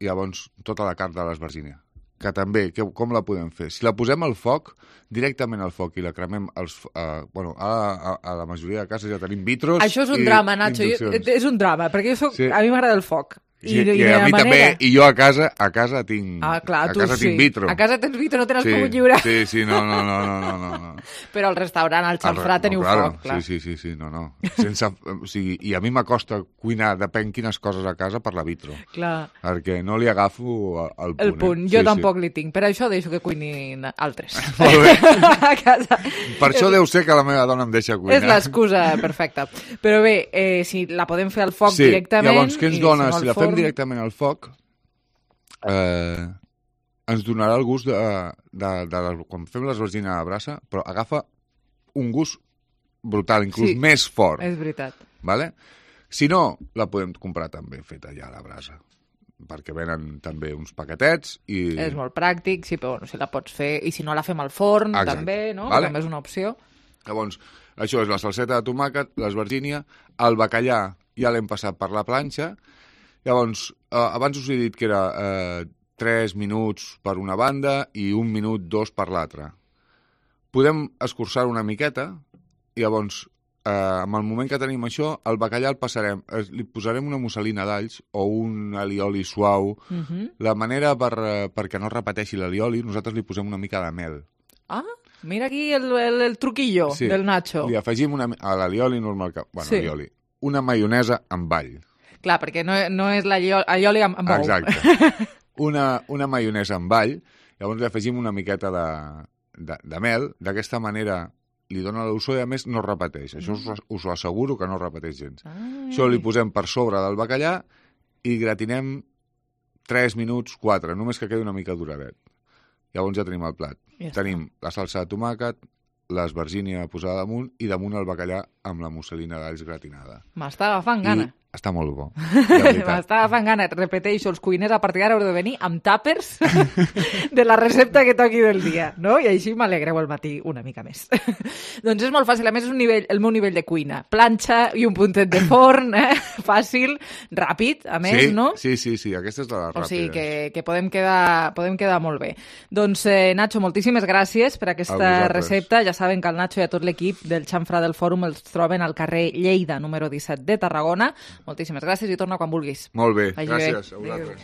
i llavors tota la carn de l'esvergínia. Que també, que, com la podem fer? Si la posem al foc, directament al foc, i la cremem als, eh, bueno, a, a, a la majoria de cases ja tenim vitros. Això és un drama, Nacho, jo, és un drama, perquè jo soc, sí. a mi m'agrada el foc. I, I, i a mi manera... també, i jo a casa a casa tinc, ah, clar, a casa sí. tinc vitro. A casa tens vitro, no te n'has sí, pogut lliurar. Sí, sí, no, no, no, no, no, no. Però al restaurant, al xamfrà, no, teniu claro, foc, clar. Sí, sí, sí, sí, no, no. Sense, o sigui, i a mi m'acosta cuinar, depèn quines coses a casa, per la vitro. Clar. Perquè no li agafo el punt. El punt, eh? jo sí, tampoc sí. li tinc. Per això deixo que cuinin altres. Molt bé. A casa. Per això deu ser que la meva dona em deixa cuinar. És l'excusa perfecta. Però bé, eh, si la podem fer al foc sí. directament... Llavors, què ens dona? Si, no si la forn... fem directament al foc, eh, ens donarà el gust de, de, de, de quan fem l'esvergina a la brasa, però agafa un gust brutal, inclús sí, més fort. És veritat. Vale? Si no, la podem comprar també feta ja a la brasa, perquè venen també uns paquetets i... És molt pràctic, sí, però bueno, si la pots fer, i si no la fem al forn, exacte. També, no? Vale? També és una opció. Llavors, això és la salseta de tomàquet, l'esvergínia, el bacallà ja l'hem passat per la planxa. Llavors, eh, abans us he dit que era eh, tres minuts per una banda i un minut, dos per l'altra. Podem escurçar una miqueta i llavors, eh, en el moment que tenim això, el bacallà el passarem, eh, li posarem una musselina d'alls o un alioli suau. Uh-huh. La manera per, eh, perquè no repeteixi l'alioli, nosaltres li posem una mica de mel. Ah, mira aquí el, el, el truquillo sí. del Nacho. Li afegim una, a l'alioli normal, que, bueno, sí. alioli, una maionesa amb all. Clar, perquè no, no és l'allioli amb bou. Exacte. Una, una maionesa amb all, llavors li afegim una miqueta de, de, de mel, d'aquesta manera li dona l'olor i a més no repeteix. Això us, us ho asseguro que no repeteix gens. Ai. Això li posem per sobre del bacallà i gratinem tres minuts, quatre, només que quedi una mica duradet. Llavors ja tenim el plat. Ja tenim la salsa de tomàquet, l'esvergínia posada damunt i damunt el bacallà amb la musselina d'alls gratinada. M'està agafant gana. I està molt bo. M'està agafant gana. Repeteixo, els cuiners a partir d'ara heu de venir amb tàpers de la recepta que toqui del dia, no? I així m'alegreu al matí una mica més. Doncs és molt fàcil. A més, és un nivell, el meu nivell de cuina. Planxa i un puntet de forn, eh? Fàcil, ràpid, a més, sí, no? Sí, sí, sí. Aquesta és de les ràpides. O sigui que, que podem, quedar, podem quedar molt bé. Doncs, eh, Nacho, moltíssimes gràcies per aquesta recepta. Ja saben que el Nacho i a tot l'equip del Xamfrà del Fòrum els troben al carrer Lleida, número disset de Tarragona. Moltíssimes gràcies i torna quan vulguis. Molt bé, Vagi gràcies bé. a vosaltres.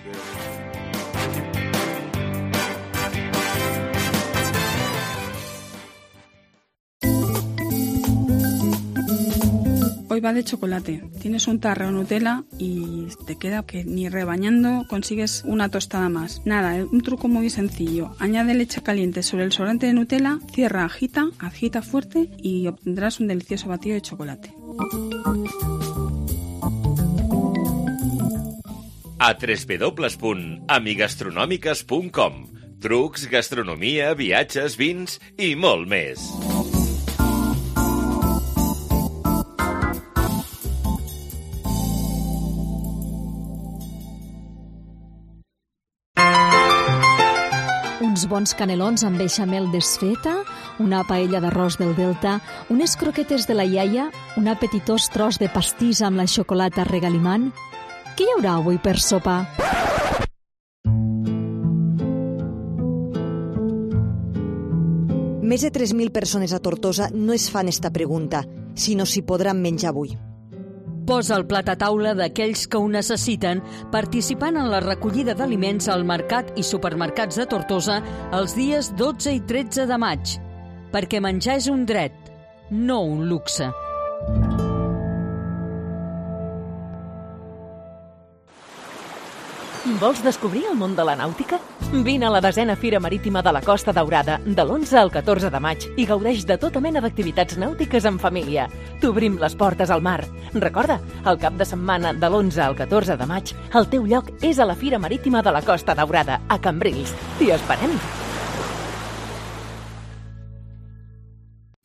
Hoy va de chocolate. Tienes un tarro de Nutella y te queda que ni rebañando consigues una tostada más. Nada, un truco muy sencillo. Añade leche caliente sobre el sobrante de Nutella, cierra, agita, agita fuerte y obtendrás un delicioso batido de chocolate. A w w w punt amigastronomiques punt com. Trucs, gastronomia, viatges, vins i molt més. Uns bons canelons amb beixamel desfeta, una paella d'arròs del Delta, unes croquetes de la iaia, un apetitós tros de pastís amb la xocolata regalimant. Què hi haurà avui per sopar? Més de tres mil persones a Tortosa no es fan esta pregunta, sinó si podran menjar avui. Posa el plat a taula d'aquells que ho necessiten participant en la recollida d'aliments al mercat i supermercats de Tortosa els dies dotze i tretze de maig. Perquè menjar és un dret, no un luxe. Vols descobrir el món de la nàutica? Vine a la desena Fira Marítima de la Costa Daurada de l'onze al catorze de maig i gaudeix de tota mena d'activitats nàutiques en família. T'obrim les portes al mar. Recorda, el cap de setmana de l'onze al catorze de maig, el teu lloc és a la Fira Marítima de la Costa Daurada, a Cambrils. T'hi esperem!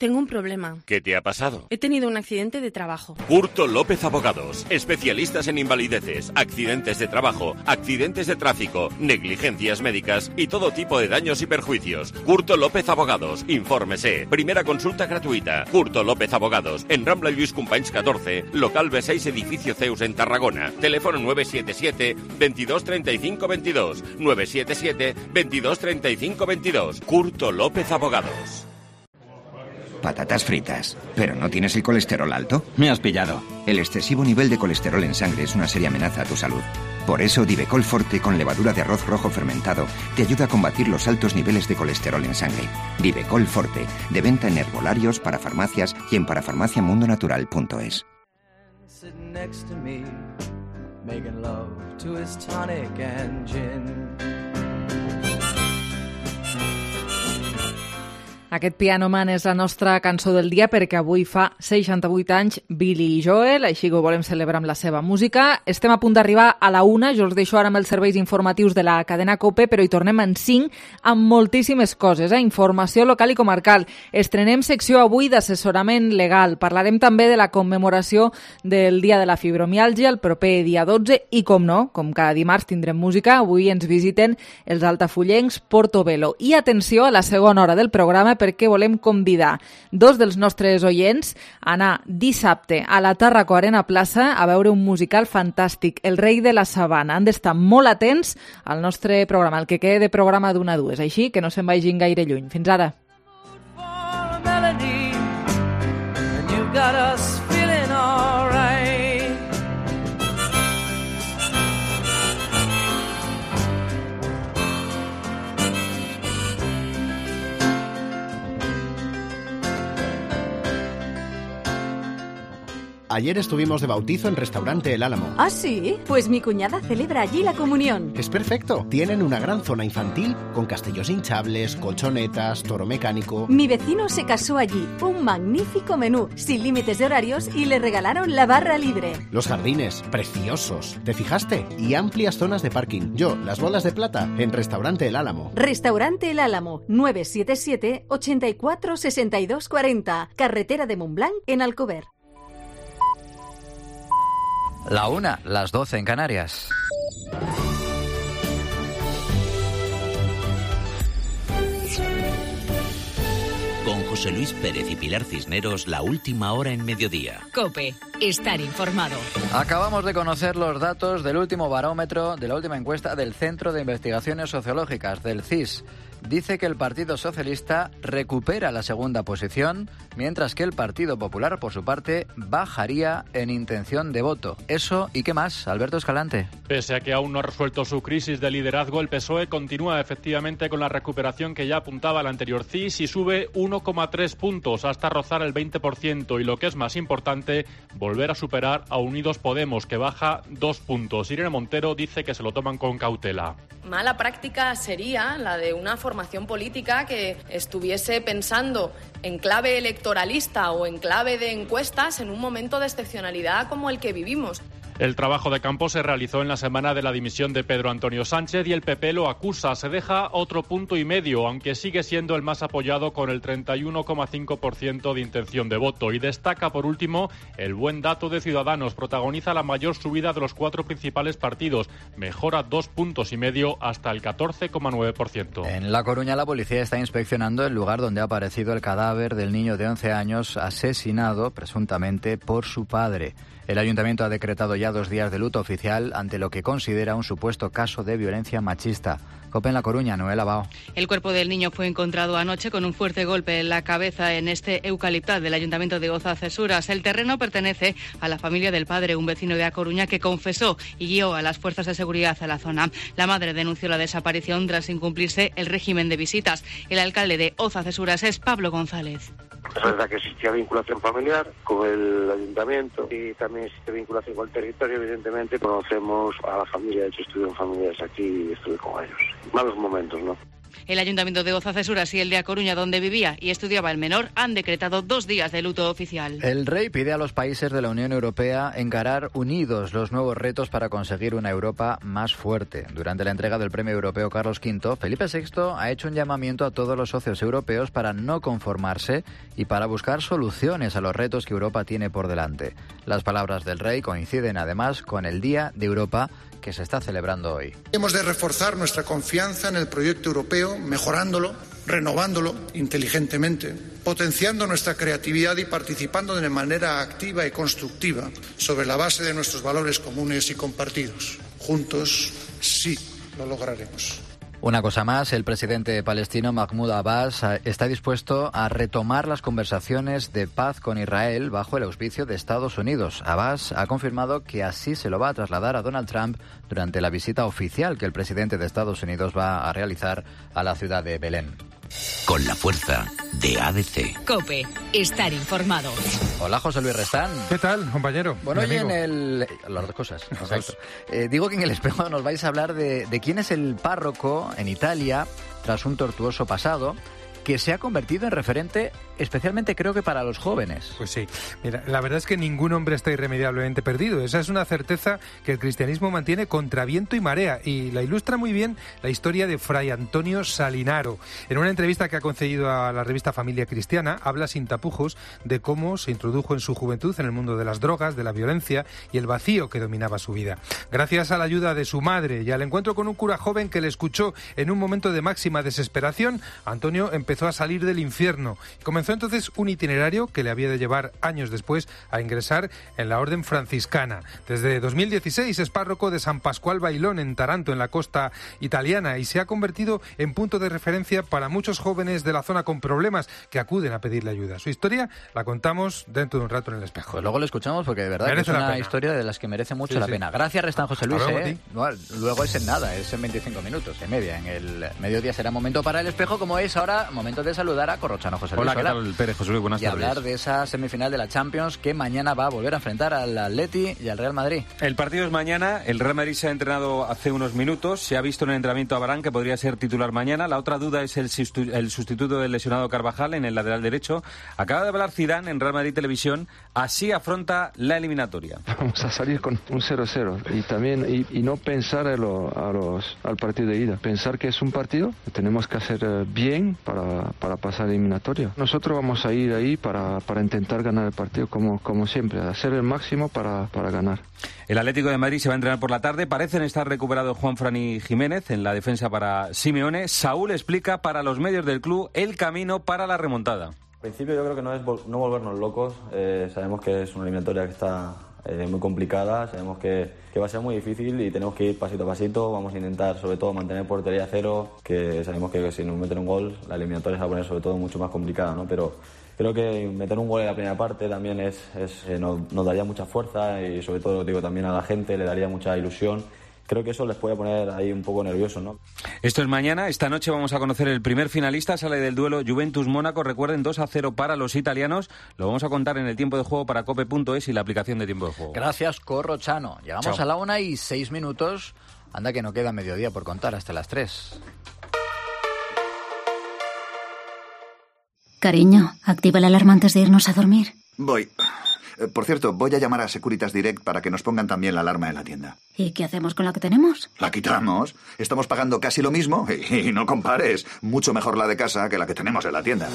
Tengo un problema. ¿Qué te ha pasado? He tenido un accidente de trabajo. Curto López Abogados, especialistas en invalideces, accidentes de trabajo, accidentes de tráfico, negligencias médicas y todo tipo de daños y perjuicios. Curto López Abogados, infórmese. Primera consulta gratuita. Curto López Abogados, en Rambla Lluís Companys catorce, local B seis, edificio Zeus en Tarragona. Teléfono nueve siete siete, veintidós treinta y cinco veintidós. nueve siete siete, veintidós treinta y cinco veintidós. Curto López Abogados. Patatas fritas. ¿Pero no tienes el colesterol alto? Me has pillado. El excesivo nivel de colesterol en sangre es una seria amenaza a tu salud. Por eso Divecol Forte con levadura de arroz rojo fermentado te ayuda a combatir los altos niveles de colesterol en sangre. Divecol Forte, de venta en herbolarios, para farmacias y en parafarmaciamundonatural punto es. Aquest Piano Man és la nostra cançó del dia perquè avui fa seixanta-vuit anys Billy Joel, així que ho volem celebrar amb la seva música. Estem a punt d'arribar a la una, jo us deixo ara amb els serveis informatius de la cadena COPE, però hi tornem en cinc amb moltíssimes coses, eh? Informació local i comarcal. Estrenem secció avui d'assessorament legal. Parlarem també de la commemoració del Dia de la Fibromiàlgia el proper dia dotze i, com no, com cada dimarts tindrem música, avui ens visiten els altafollencs Portobello. I atenció a la segona hora del programa perquè volem convidar dos dels nostres oients a anar dissabte a la Tàrraco Arena Plaça a veure un musical fantàstic, El rei de la sabana. Han d'estar molt atents al nostre programa, el que quede de programa d'una a dues, així que no se'n vagin gaire lluny. Fins ara. Ayer estuvimos de bautizo en Restaurante El Álamo. ¿Ah, sí? Pues mi cuñada celebra allí la comunión. Es perfecto. Tienen una gran zona infantil con castillos hinchables, colchonetas, toro mecánico. Mi vecino se casó allí. Un magnífico menú, sin límites de horarios, y le regalaron la barra libre. Los jardines, preciosos. ¿Te fijaste? Y amplias zonas de parking. Yo, las bolas de plata, en Restaurante El Álamo. Restaurante El Álamo, nueve siete siete, ochenta y cuatro, sesenta y dos cuarenta. Carretera de Montblanc, en Alcover. La una, las doce en Canarias. Con José Luis Pérez y Pilar Cisneros, la última hora en mediodía. COPE, estar informado. Acabamos de conocer los datos del último barómetro, de la última encuesta del Centro de Investigaciones Sociológicas, del C I S. Dice que el Partido Socialista recupera la segunda posición, mientras que el Partido Popular, por su parte, bajaría en intención de voto. Eso y qué más, Alberto Escalante. Pese a que aún no ha resuelto su crisis de liderazgo, el P S O E continúa efectivamente con la recuperación que ya apuntaba el anterior C I S y sube uno coma tres puntos hasta rozar el veinte por ciento y, lo que es más importante, volver a superar a Unidos Podemos, que baja dos puntos. Irene Montero dice que se lo toman con cautela. Mala práctica sería la de una formación política que estuviese pensando en clave electoralista o en clave de encuestas en un momento de excepcionalidad como el que vivimos. El trabajo de campo se realizó en la semana de la dimisión de Pedro Antonio Sánchez y el P P lo acusa. Se deja otro punto y medio, aunque sigue siendo el más apoyado con el treinta y uno coma cinco por ciento de intención de voto. Y destaca, por último, el buen dato de Ciudadanos. Protagoniza la mayor subida de los cuatro principales partidos. Mejora dos puntos y medio hasta el catorce coma nueve por ciento. En La Coruña, la policía está inspeccionando el lugar donde ha aparecido el cadáver del niño de once años asesinado, presuntamente, por su padre. El ayuntamiento ha decretado ya dos días de luto oficial ante lo que considera un supuesto caso de violencia machista. COPE en La Coruña, Noel Abao. El cuerpo del niño fue encontrado anoche con un fuerte golpe en la cabeza en este eucaliptal del ayuntamiento de Oza-Cesuras. El terreno pertenece a la familia del padre, un vecino de A Coruña que confesó y guió a las fuerzas de seguridad a la zona. La madre denunció la desaparición tras incumplirse el régimen de visitas. El alcalde de Oza-Cesuras es Pablo González. Es verdad que existía vinculación familiar con el ayuntamiento y también existe vinculación con el territorio. Evidentemente conocemos a la familia, de hecho estuve en familias aquí y estuve con ellos. Malos momentos, ¿no? El ayuntamiento de Oza-Cesuras y el de A Coruña, donde vivía y estudiaba el menor, han decretado dos días de luto oficial. El rey pide a los países de la Unión Europea encarar unidos los nuevos retos para conseguir una Europa más fuerte. Durante la entrega del Premio Europeo Carlos quinto, Felipe sexto ha hecho un llamamiento a todos los socios europeos para no conformarse y para buscar soluciones a los retos que Europa tiene por delante. Las palabras del rey coinciden además con el Día de Europa, que se está celebrando hoy. Hemos de reforzar nuestra confianza en el proyecto europeo, mejorándolo, renovándolo inteligentemente, potenciando nuestra creatividad y participando de manera activa y constructiva sobre la base de nuestros valores comunes y compartidos. Juntos, sí, lo lograremos. Una cosa más, el presidente palestino Mahmoud Abbas está dispuesto a retomar las conversaciones de paz con Israel bajo el auspicio de Estados Unidos. Abbas ha confirmado que así se lo va a trasladar a Donald Trump durante la visita oficial que el presidente de Estados Unidos va a realizar a la ciudad de Belén. Con la fuerza de A D C. COPE, estar informado. Hola, José Luis Restán. ¿Qué tal, compañero? Bueno, hoy en el... Las dos cosas, exacto. Eh, digo que en el espejo nos vais a hablar de, de quién es el párroco en Italia, tras un tortuoso pasado, que se ha convertido en referente, especialmente creo que para los jóvenes. Pues sí. Mira, la verdad es que ningún hombre está irremediablemente perdido. Esa es una certeza que el cristianismo mantiene contra viento y marea, y la ilustra muy bien la historia de Fray Antonio Salinaro. En una entrevista que ha concedido a la revista Familia Cristiana, habla sin tapujos de cómo se introdujo en su juventud en el mundo de las drogas, de la violencia y el vacío que dominaba su vida. Gracias a la ayuda de su madre y al encuentro con un cura joven que le escuchó en un momento de máxima desesperación, Antonio empezó a salir del infierno. Comenzó entonces un itinerario que le había de llevar años después a ingresar en la orden franciscana. Desde dos mil dieciséis es párroco de San Pascual Bailón en Taranto, en la costa italiana, y se ha convertido en punto de referencia para muchos jóvenes de la zona con problemas que acuden a pedirle ayuda. Su historia la contamos dentro de un rato en el espejo. Pues luego lo escuchamos porque de verdad que es una historia de las que merece mucho sí, la sí. pena. Gracias, Restán, José Luis. Luego, ¿eh? Luego es en nada, es en veinticinco minutos, en media. En el mediodía será momento para el espejo, como es ahora. momento de saludar a Corrochano. José Luis. Hola, ¿qué tal, Pérez? José Luis, buenas y tardes. Y hablar de esa semifinal de la Champions que mañana va a volver a enfrentar al Atleti y al Real Madrid. El partido es mañana. El Real Madrid se ha entrenado hace unos minutos. Se ha visto en el entrenamiento a Varane, que podría ser titular mañana. La otra duda es el, sustitu- el sustituto del lesionado Carvajal en el lateral derecho. Acaba de hablar Zidane en Real Madrid Televisión. Así afronta la eliminatoria. Vamos a salir con un cero cero y también y, y no pensar a lo, a los, al partido de ida. Pensar que es un partido que tenemos que hacer bien para, para pasar la eliminatoria. Nosotros vamos a ir ahí para, para intentar ganar el partido como, como siempre, hacer el máximo para, para ganar. El Atlético de Madrid se va a entrenar por la tarde. Parecen estar recuperados Juanfran y Jiménez en la defensa para Simeone. Saúl explica para los medios del club el camino para la remontada. En principio yo creo que no es vol- no volvernos locos. Eh, sabemos que es una eliminatoria que está eh, muy complicada. Sabemos que, que va a ser muy difícil y tenemos que ir pasito a pasito. Vamos a intentar sobre todo mantener portería cero, que sabemos que si nos meten un gol la eliminatoria se va a poner sobre todo mucho más complicada, ¿no? Pero creo que meter un gol en la primera parte también es, es eh, nos, nos daría mucha fuerza y sobre todo digo también a la gente le daría mucha ilusión. Creo que eso les puede poner ahí un poco nerviosos, ¿no? Esto es mañana. Esta noche vamos a conocer el primer finalista. Sale del duelo Juventus-Mónaco. Recuerden, dos a cero para los italianos. Lo vamos a contar en el tiempo de juego para cope punto es y la aplicación de tiempo de juego. Gracias, Corrochano. Llegamos Chao. a la una y seis minutos. Anda que no queda mediodía por contar hasta las tres. Cariño, activa la alarma antes de irnos a dormir. Voy. Por cierto, voy a llamar a Securitas Direct para que nos pongan también la alarma en la tienda. ¿Y qué hacemos con la que tenemos? La quitamos. Estamos pagando casi lo mismo y, y no compares. Mucho mejor la de casa que la que tenemos en la tienda.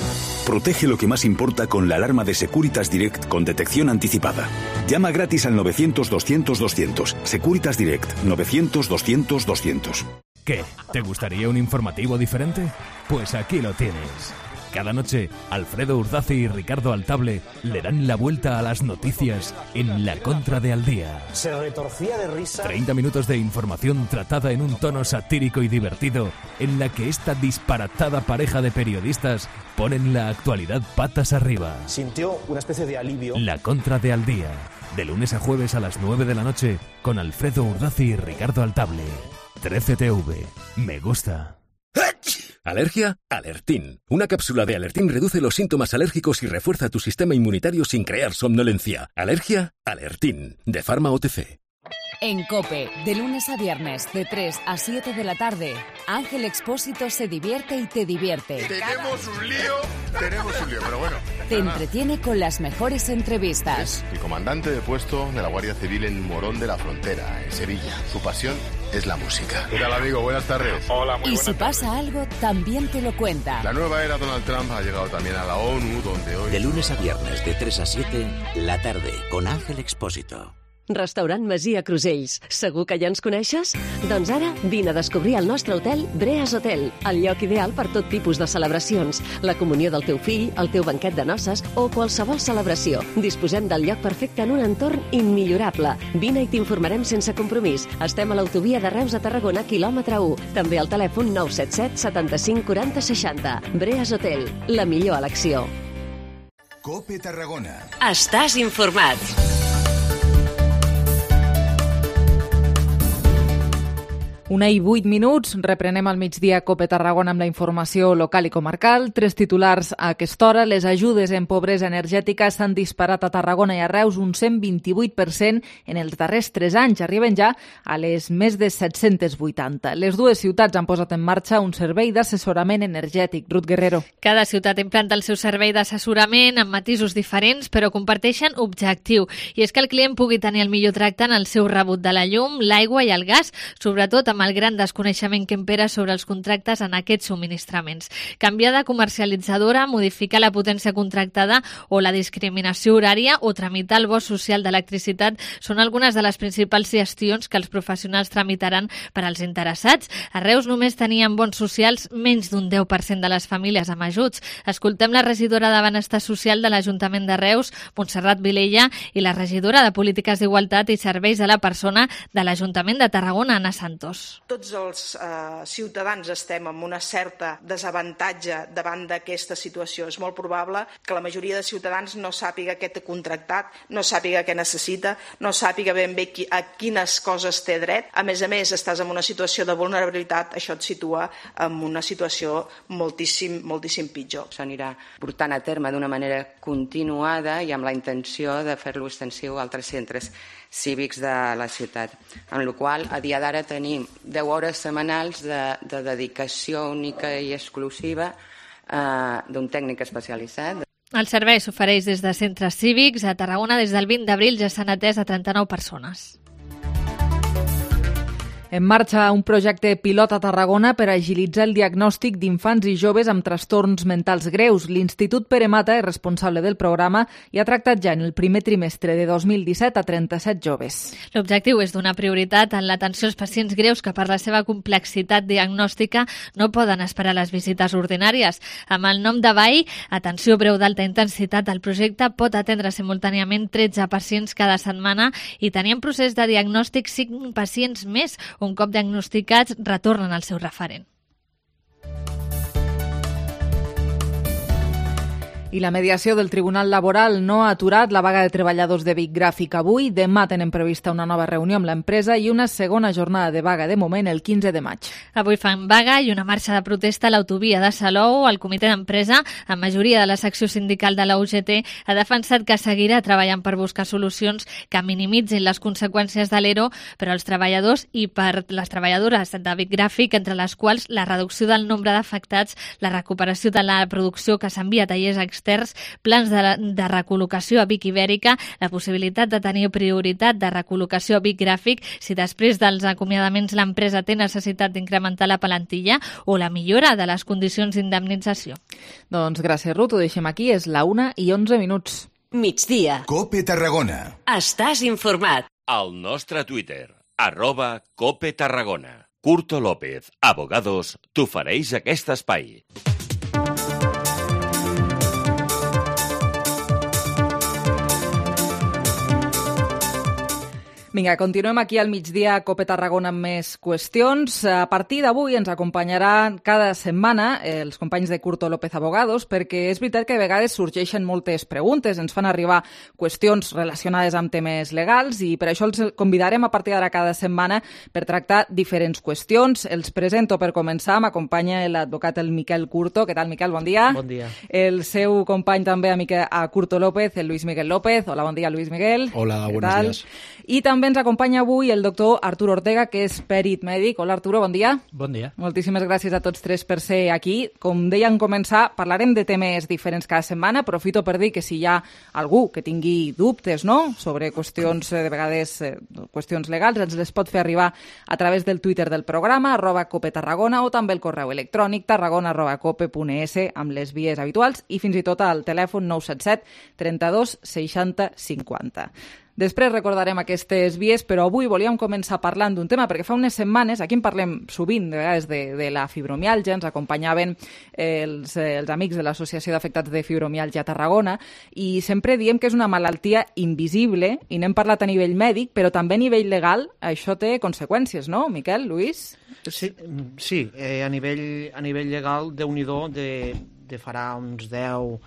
Protege lo que más importa con la alarma de Securitas Direct con detección anticipada. Llama gratis al novecientos doscientos doscientos. Securitas Direct, novecientos doscientos doscientos. ¿Qué? ¿Te gustaría un informativo diferente? Pues aquí lo tienes. Cada noche, Alfredo Urdazi y Ricardo Altable le dan la vuelta a las noticias en La Contra de Al Día. Se retorcía de risa. treinta minutos de información tratada en un tono satírico y divertido, en la que esta disparatada pareja de periodistas ponen la actualidad patas arriba. Sintió una especie de alivio. La Contra de Al Día, de lunes a jueves a las nueve de la noche, con Alfredo Urdazi y Ricardo Altable. trece T V. Me gusta. ¿Alergia? Alertín. Una cápsula de Alertín reduce los síntomas alérgicos y refuerza tu sistema inmunitario sin crear somnolencia. ¿Alergia? Alertín. De Pharma O T C. En COPE, de lunes a viernes, de tres a siete de la tarde, Ángel Expósito se divierte y te divierte. Tenemos un lío, tenemos un lío, pero bueno. Te entretiene con las mejores entrevistas. Es el comandante de puesto de la Guardia Civil en Morón de la Frontera, en Sevilla. Su pasión es la música. ¿Qué tal, amigo? Buenas tardes. Hola, muy Y buenas si tardes. pasa algo, también te lo cuenta. La nueva era Donald Trump ha llegado también a la ONU, donde hoy... De lunes a viernes, de tres a siete, la tarde, con Ángel Expósito. Restaurant Masia Crusells. Segur que ja ens coneixes? Doncs ara vine a descobrir el nostre hotel Breas Hotel, el lloc ideal per tot tipus de celebracions, la comunió del teu fill, el teu banquet de noces o qualsevol celebració. Disposem del lloc perfecte en un entorn immillorable. Vine i t'informarem sense compromís. Estem a l'autovia de Reus a Tarragona, quilòmetre u. També al telèfon nou set set setanta-cinc quaranta seixanta. Breas Hotel, la millor elecció. COPE Tarragona. Estàs informat. Una i vuit minuts, reprenem al migdia COPE Tarragona amb la informació local i comarcal. Tres titulars a aquesta hora. Les ajudes en pobresa energètica s'han disparat a Tarragona i a Reus un cent vint-i-vuit per cent en els darrers tres anys. Arriben ja a les més de set-cents vuitanta. Les dues ciutats han posat en marxa un servei d'assessorament energètic. Ruth Guerrero. Cada ciutat implanta el seu servei d'assessorament amb matisos diferents, però comparteixen objectiu. I és que el client pugui tenir el millor tracte en el seu rebut de la llum, l'aigua i el gas, sobretot amb el gran desconeixement que impera sobre els contractes en aquests subministraments. Canviar de comercialitzadora, modificar la potència contractada o la discriminació horària o tramitar el bo social d'electricitat són algunes de les principals gestions que els professionals tramitaran per als interessats. A Reus només tenien bons socials menys d'un deu per cent de les famílies amb ajuts. Escoltem la regidora de Benestar Social de l'Ajuntament de Reus, Montserrat Vilella, i la regidora de Polítiques d'Igualtat i Serveis a la Persona de l'Ajuntament de Tarragona, Anna Santos. Reus. Tots els eh, ciutadans estem en una certa desavantatge davant d'aquesta situació. És molt probable que la majoria de ciutadans no sàpiga què té contractat, no sàpiga què necessita, no sàpiga ben bé qui, a quines coses té dret. A més a més, estàs en una situació de vulnerabilitat, això et situa en una situació moltíssim, moltíssim pitjor. S'anirà portant a terme d'una manera continuada i amb la intenció de fer-lo extensiu a altres centres cívics de la ciutat. Amb la qual cosa, a dia d'ara tenim deu hores setmanals de, de dedicació única i exclusiva eh, d'un tècnic especialitzat. El servei s'ofereix des de centres cívics. A Tarragona, des del vint d'abril, ja s'han atès a trenta-nou persones. En marxa un projecte pilot a Tarragona per agilitzar el diagnòstic d'infants i joves amb trastorns mentals greus. L'Institut Pere Mata és responsable del programa i ha tractat ja en el primer trimestre de dos mil disset a trenta-set joves. L'objectiu és donar prioritat en l'atenció als pacients greus que per la seva complexitat diagnòstica no poden esperar les visites ordinàries. Amb el nom de B A I, Atenció Breu d'Alta Intensitat, el projecte pot atendre simultàniament tretze pacients cada setmana i tenir en procés de diagnòstic cinc pacients més. Un cop diagnosticats, retornen al seu referent. I la mediació del Tribunal Laboral no ha aturat la vaga de treballadors de Vic Gràfic avui. Demà tenen prevista una nova reunió amb l'empresa i una segona jornada de vaga de moment el quinze de maig. Avui fan vaga i una marxa de protesta a l'autovia de Salou. El comitè d'empresa, amb majoria de la secció sindical de la U G T, ha defensat que seguirà treballant per buscar solucions que minimitzin les conseqüències de l'E R O per als treballadors i per les treballadores de Vic Gràfic, entre les quals la reducció del nombre d'afectats, la recuperació de la producció que s'envia a tallers externs, plans de, de recol·locació a Vic Ibèrica, la possibilitat de tenir prioritat de recol·locació a Vic Gràfic si després dels acomiadaments l'empresa té necessitat d'incrementar la plantilla o la millora de les condicions d'indemnització. Doncs gràcies, Ruth, ho deixem aquí, és la una i onze minuts. Migdia. Cope Tarragona. Estàs informat. Al nostre Twitter, arroba Cope Tarragona. Curto López, Abogados, t'ofereix aquest espai. Vinga, continuem aquí al migdia a Cope Tarragona amb més qüestions. A partir d'avui ens acompanyaran cada setmana els companys de Curto López Abogados, perquè és veritat que a vegades sorgeixen moltes preguntes, ens fan arribar qüestions relacionades amb temes legals i per això els convidarem a partir d'ara cada setmana per tractar diferents qüestions. Els presento per començar, m'acompanya l'advocat el Miquel Curto. Què tal, Miquel? Bon dia. Bon dia. El seu company també a, Miquel, a Curto López, el Luis Miguel López. Hola, bon dia, Luis Miguel. Hola, buenos días. I també ens acompanya avui el doctor Arturo Ortega, que és pèrit mèdic. Hola, Arturo, bon dia. Bon dia. Moltíssimes gràcies a tots tres per ser aquí. Com deia en començar, parlarem de temes diferents cada setmana. Aprofito per dir que si hi ha algú que tingui dubtes, no?, sobre qüestions, de vegades, eh, qüestions legals, ens les pot fer arribar a través del Twitter del programa, arroba Cope Tarragona, o també el correu electrònic tarragona arroba cope punt es amb les vies habituals i fins i tot al telèfon nou set set trenta-dos seixanta cinquanta. Després recordarem aquestes vies, però avui volíem començar parlant d'un tema, perquè fa unes setmanes, aquí en parlem sovint, de vegades, de, de la fibromiàlgia, ens acompanyaven els, els amics de l'Associació d'Afectats de Fibromiàlgia a Tarragona, i sempre diem que és una malaltia invisible, i n'hem parlat a nivell mèdic, però també a nivell legal això té conseqüències, no, Miquel, Luis? Sí, sí eh, a, nivell, a nivell legal, Déu-n'hi-do, de, de farà uns deu,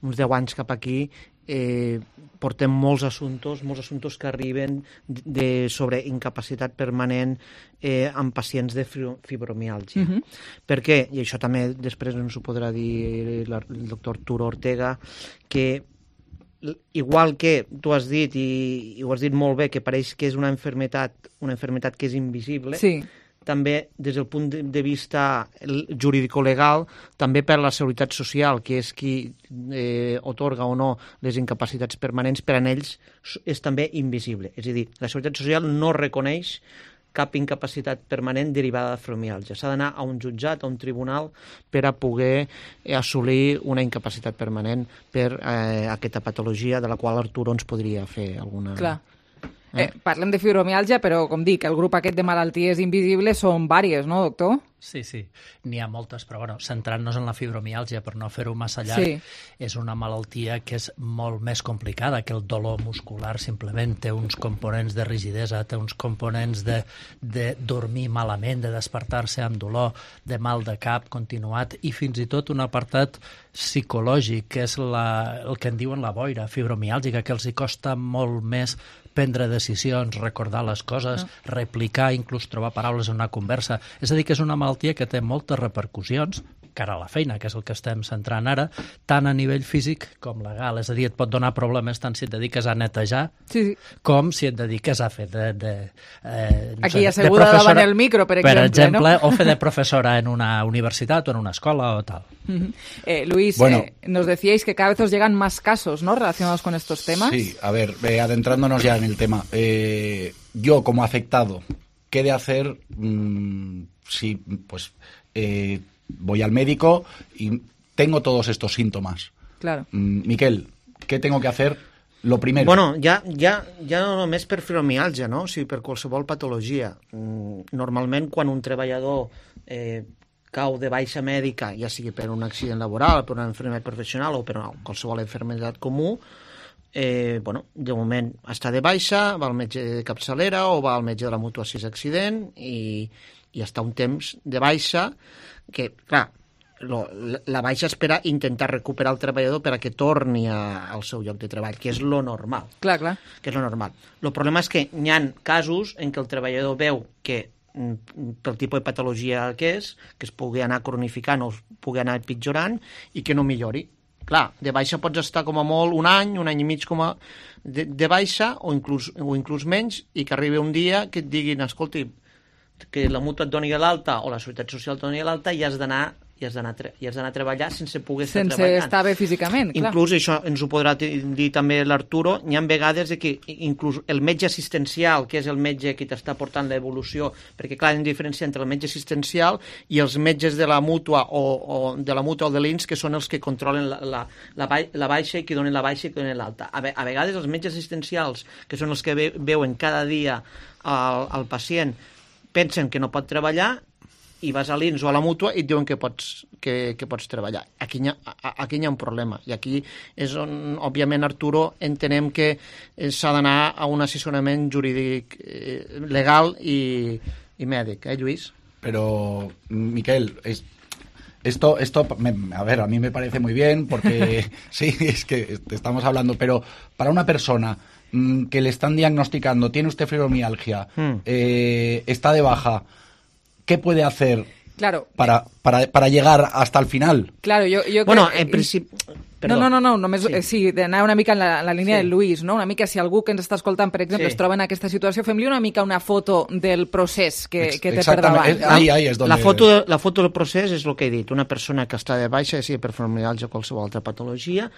uns deu anys cap aquí, Eh, portem molts assumptes, molts assumptes que arriben de, sobre incapacitat permanent eh, amb pacients de fibromiàlgia. Uh-huh. Per què? I això també després ens ho podrà dir el doctor Arturo Ortega, que igual que tu has dit, i, i ho has dit molt bé, que pareix que és una enfermetat, una enfermetat que és invisible, sí. També des del punt de vista jurídico-legal, també per a la Seguretat Social, que és qui eh, otorga o no les incapacitats permanents, per a ells és també invisible. És a dir, la Seguretat Social no reconeix cap incapacitat permanent derivada de fibromiàlgia. S'ha d'anar a un jutjat, a un tribunal, per a poder assolir una incapacitat permanent per eh, aquesta patologia, de la qual Arturo ens podria fer alguna... Clar. Eh, parlem de fibromiàlgia, però, com dic, el grup aquest de malalties invisibles són vàries, no, doctor? Sí, sí, n'hi ha moltes, però bueno, centrant-nos en la fibromiàlgia, per no fer-ho massa llarg, Sí. és una malaltia que és molt més complicada que el dolor muscular, simplement té uns components de rigidesa, té uns components de, de dormir malament, de despertar-se amb dolor, de mal de cap continuat i fins i tot un apartat psicològic, que és la, el que en diuen la boira fibromiàlgica, que els hi costa molt més prendre decisions, recordar les coses, no. replicar, inclús trobar paraules en una conversa. És a dir, que és una malaltia que té moltes repercussions, cara a la feina, que és el que estem centrant ara, tant a nivell físic com legal. És a dir, et pot donar problemes tant si et dediques a netejar sí, sí. com si et dediques a fer de... de eh, no Aquí sé, asseguda davant el micro, per exemple. Per exemple, no? o fer de professora en una universitat o en una escola o tal. Uh-huh. eh, Luis, Bueno. eh, nos decíais que cada vez os llegan más casos, ¿no?, relacionados con estos temas. Sí, a ver, eh, adentrándonos ya en el tema. Eh, yo, como afectado, ¿qué he de hacer mm, si pues eh, voy al médico y tengo todos estos síntomas? Claro. Mm, Miquel, ¿qué tengo que hacer? Lo primero. Bueno, ja, ja, ja no només per fibromiàlgia, no? O sigui, per qualsevol patologia. Mm, Normalment, quan un treballador eh, cau de baixa mèdica, ja sigui per un accident laboral, per una enfermedad professional o per una, qualsevol enfermedad comú, eh, bueno, de moment està de baixa, va al metge de capçalera o va al metge de la mútua si és accident i, i està un temps de baixa que, clar, lo, la baixa és per a intentar recuperar el treballador per a que torni a, al seu lloc de treball, que és lo normal. Clar, clar. Que és lo normal. El problema és que hi ha casos en què el treballador veu que pel tipus de patologia que és, que es pugui anar cronificant o es pugui anar pitjorant i que no millori. Clar, de baixa pots estar com a molt un any, un any i mig com a de, de baixa o inclús, o inclús menys i que arribi un dia que et diguin, escolti, que la mútua et doni l'alta o la Seguretat Social et doni l'alta i has d'anar i has d'anar i has d'anar a treballar sense poder estar sense treballant. estar bé físicament, clar. Inclús, això ens ho podrà dir també l'Arturo, hi ha vegades de que inclús el metge assistencial, que és el metge que t'està portant l'evolució, perquè clar, hi ha diferència entre el metge assistencial i els metges de la mútua o, o de la mútua o de l'I N S, que són els que controlen la, la, la, la baixa i que donen la baixa i que donen l'alta. A, a vegades els metges assistencials, que són els que ve, veuen cada dia al, al pacient, pensen que no pot treballar i vas a l'I N S o a la mútua i et diuen que pots, que, que pots treballar. Aquí hi, ha, aquí hi ha un problema. I aquí és on, òbviament, Arturo, entenem que s'ha d'anar a un assessorament jurídic eh, legal i, i mèdic, eh, Lluís? Pero, Miquel, es, esto, esto me, a ver, a mí me parece muy bien porque sí, es que estamos hablando, pero para una persona mmm, que le están diagnosticando, tiene usted fibromialgia, hmm. eh, está de baja, ¿qué puede hacer claro. para, para, para llegar hasta el final? Claro, jo, jo bueno, crec... en principi... No, no, no, no, només sí, sí d'anar una mica en la, la línia sí. del Luis, no? Una mica si algú que ens està escoltant, per exemple, sí. es troba en aquesta situació, fem-li una mica una foto del procés que, que té per davant. No? Ahí, ahí es donde... la, foto, la foto del procés és el que he dit. Una persona que està de baixa, sigui per fibromiàlgia o qualsevol altra patologia,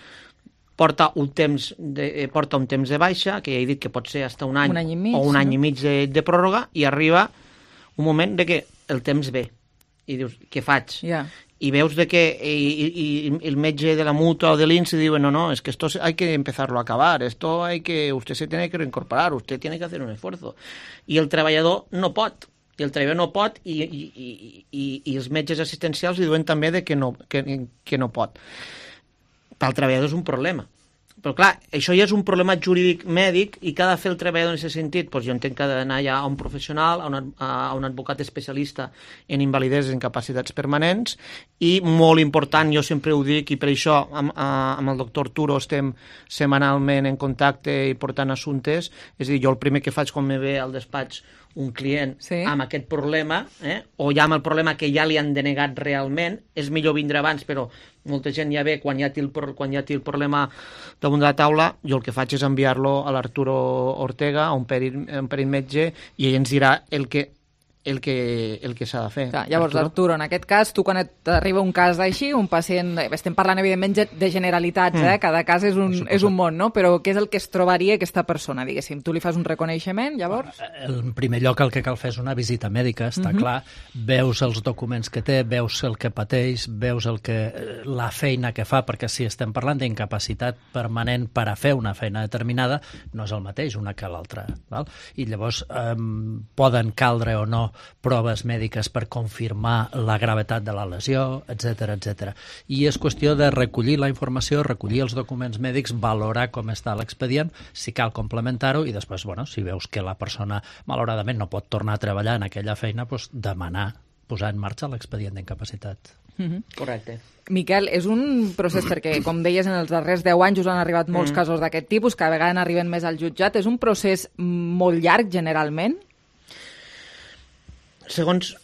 porta un temps de, porta un temps de baixa, que ja he dit que pot ser hasta un any, un any i mig, o un any no? i mig de, de pròrroga, i arriba un moment de que el temps ve. I dius, què faig? Yeah. Y veus de que y, y, y el metge de la mutua o del I N S dice, no, no, es que esto hay que empezarlo a acabar, esto hay que, usted se tiene que reincorporar, usted tiene que hacer un esfuerzo. I el treballador no pot, i el treballador no pot, i, i, i, i, i els metges assistencials li diuen també de que no, que, que no pot. Pel treballador és un problema. Però clar, això ja és un problema jurídic mèdic i què ha de fer el treballador en aquest sentit? Pues jo entenc que ha d'anar ja a un professional, a un, a un advocat especialista en invalideses i incapacitats permanents i molt important, jo sempre ho dic i per això amb, amb el doctor Arturo estem setmanalment en contacte i portant assumptes, és a dir, jo el primer que faig quan me ve al despatx un client sí. amb aquest problema, eh, o ja amb el problema que ja li han denegat realment, és millor vindre abans, però molta gent ja ve quan ja té el, quan ja té el problema damunt de la taula, jo el que faig és enviar-lo a l'Arturo Ortega, a un perit, un perit metge, i ell ens dirà el que el que, el que s'ha de fer. Clar, llavors, Arturo. Arturo, en aquest cas, tu quan t'arriba un cas així, un pacient... Estem parlant, evidentment, de generalitats, mm. eh? Cada cas és un, és un món, no? Però què és el que es trobaria aquesta persona, diguéssim? Tu li fas un reconeixement, llavors? En primer lloc, el que cal fer és una visita mèdica, està mm-hmm. clar. Veus els documents que té, veus el que pateix, veus el que, la feina que fa, perquè si estem parlant d'incapacitat permanent per a fer una feina determinada, no és el mateix una que l'altra. I llavors eh, poden caldre o no proves mèdiques per confirmar la gravetat de la lesió, etcètera, etcètera. I és qüestió de recollir la informació, recollir els documents mèdics, valorar com està l'expedient, si cal complementar-ho, i després, bueno, si veus que la persona malauradament no pot tornar a treballar en aquella feina, doncs demanar, posar en marxa l'expedient d'incapacitat. Mm-hmm. Correcte. Miquel, és un procés perquè, com deies, en els darrers deu anys us han arribat molts mm. casos d'aquest tipus, cada vegada n'arriben més al jutjat. És un procés molt llarg, generalment? Segons,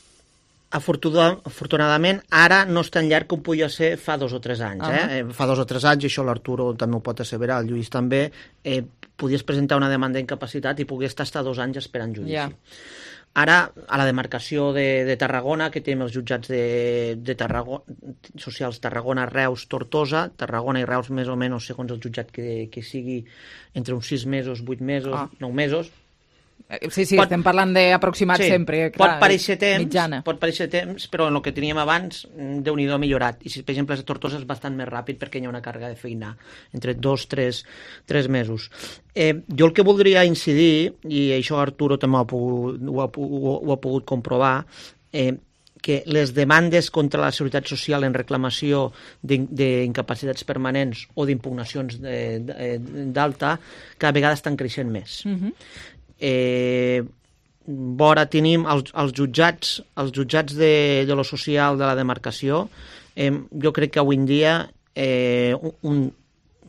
afortunadament, ara no és tan llarg com podia ser fa dos o tres anys. Uh-huh. eh? Fa dos o tres anys, i això l'Arturo també ho pot asseverar, el Lluís també, eh, podies presentar una demanda d'incapacitat i podies estar fins dos anys esperant judici. Yeah. Ara, a la demarcació de, de Tarragona, que tenim els jutjats de, de Tarragona, socials Tarragona, Reus, Tortosa, Tarragona i Reus més o menys, segons el jutjat que, que sigui, entre uns sis mesos, vuit mesos, ah. nou mesos. Sí, sí, pot, estem parlant d'aproximat sí, sempre. Clar, pot pareixer temps, mitjana. Pot pareixer temps, però en el que teníem abans, Déu-n'hi-do, millorat. I si, per exemple, a Tortosa és bastant més ràpid perquè hi ha una càrrega de feina entre dos, tres, tres mesos. Eh, jo el que voldria incidir, i això Arturo també ho ha pogut, ho ha, ho, ho ha pogut comprovar, eh, que les demandes contra la Seguretat Social en reclamació d'incapacitats permanents o d'impugnacions d'alta cada vegada estan creixent més. Mm-hmm. Eh, vora tenim els, els jutjats els jutjats de, de lo social de la demarcació, eh, jo crec que avui en dia eh, un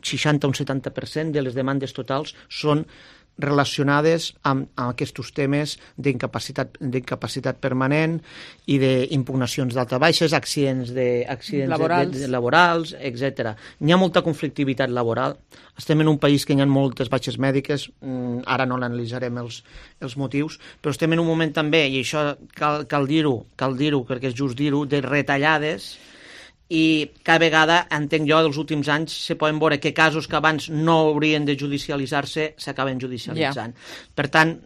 seixanta o un setanta per cent de les demandes totals són relacionades amb, amb aquests temes d'incapacitat d'incapacitat permanent i d'impugnacions d'alta baixes, accidents, de, accidents laborals, de, de, laborals etcètera. N'hi ha molta conflictivitat laboral. Estem en un país que hi ha moltes baixes mèdiques, ara no l'analitzarem els, els motius, però estem en un moment també, i això cal, cal dir-ho, cal dir-ho perquè és just dir-ho, de retallades, i cada vegada, entenc jo, dels últims anys se poden veure que casos que abans no haurien de judicialitzar-se s'acaben judicialitzant. Yeah. Per tant,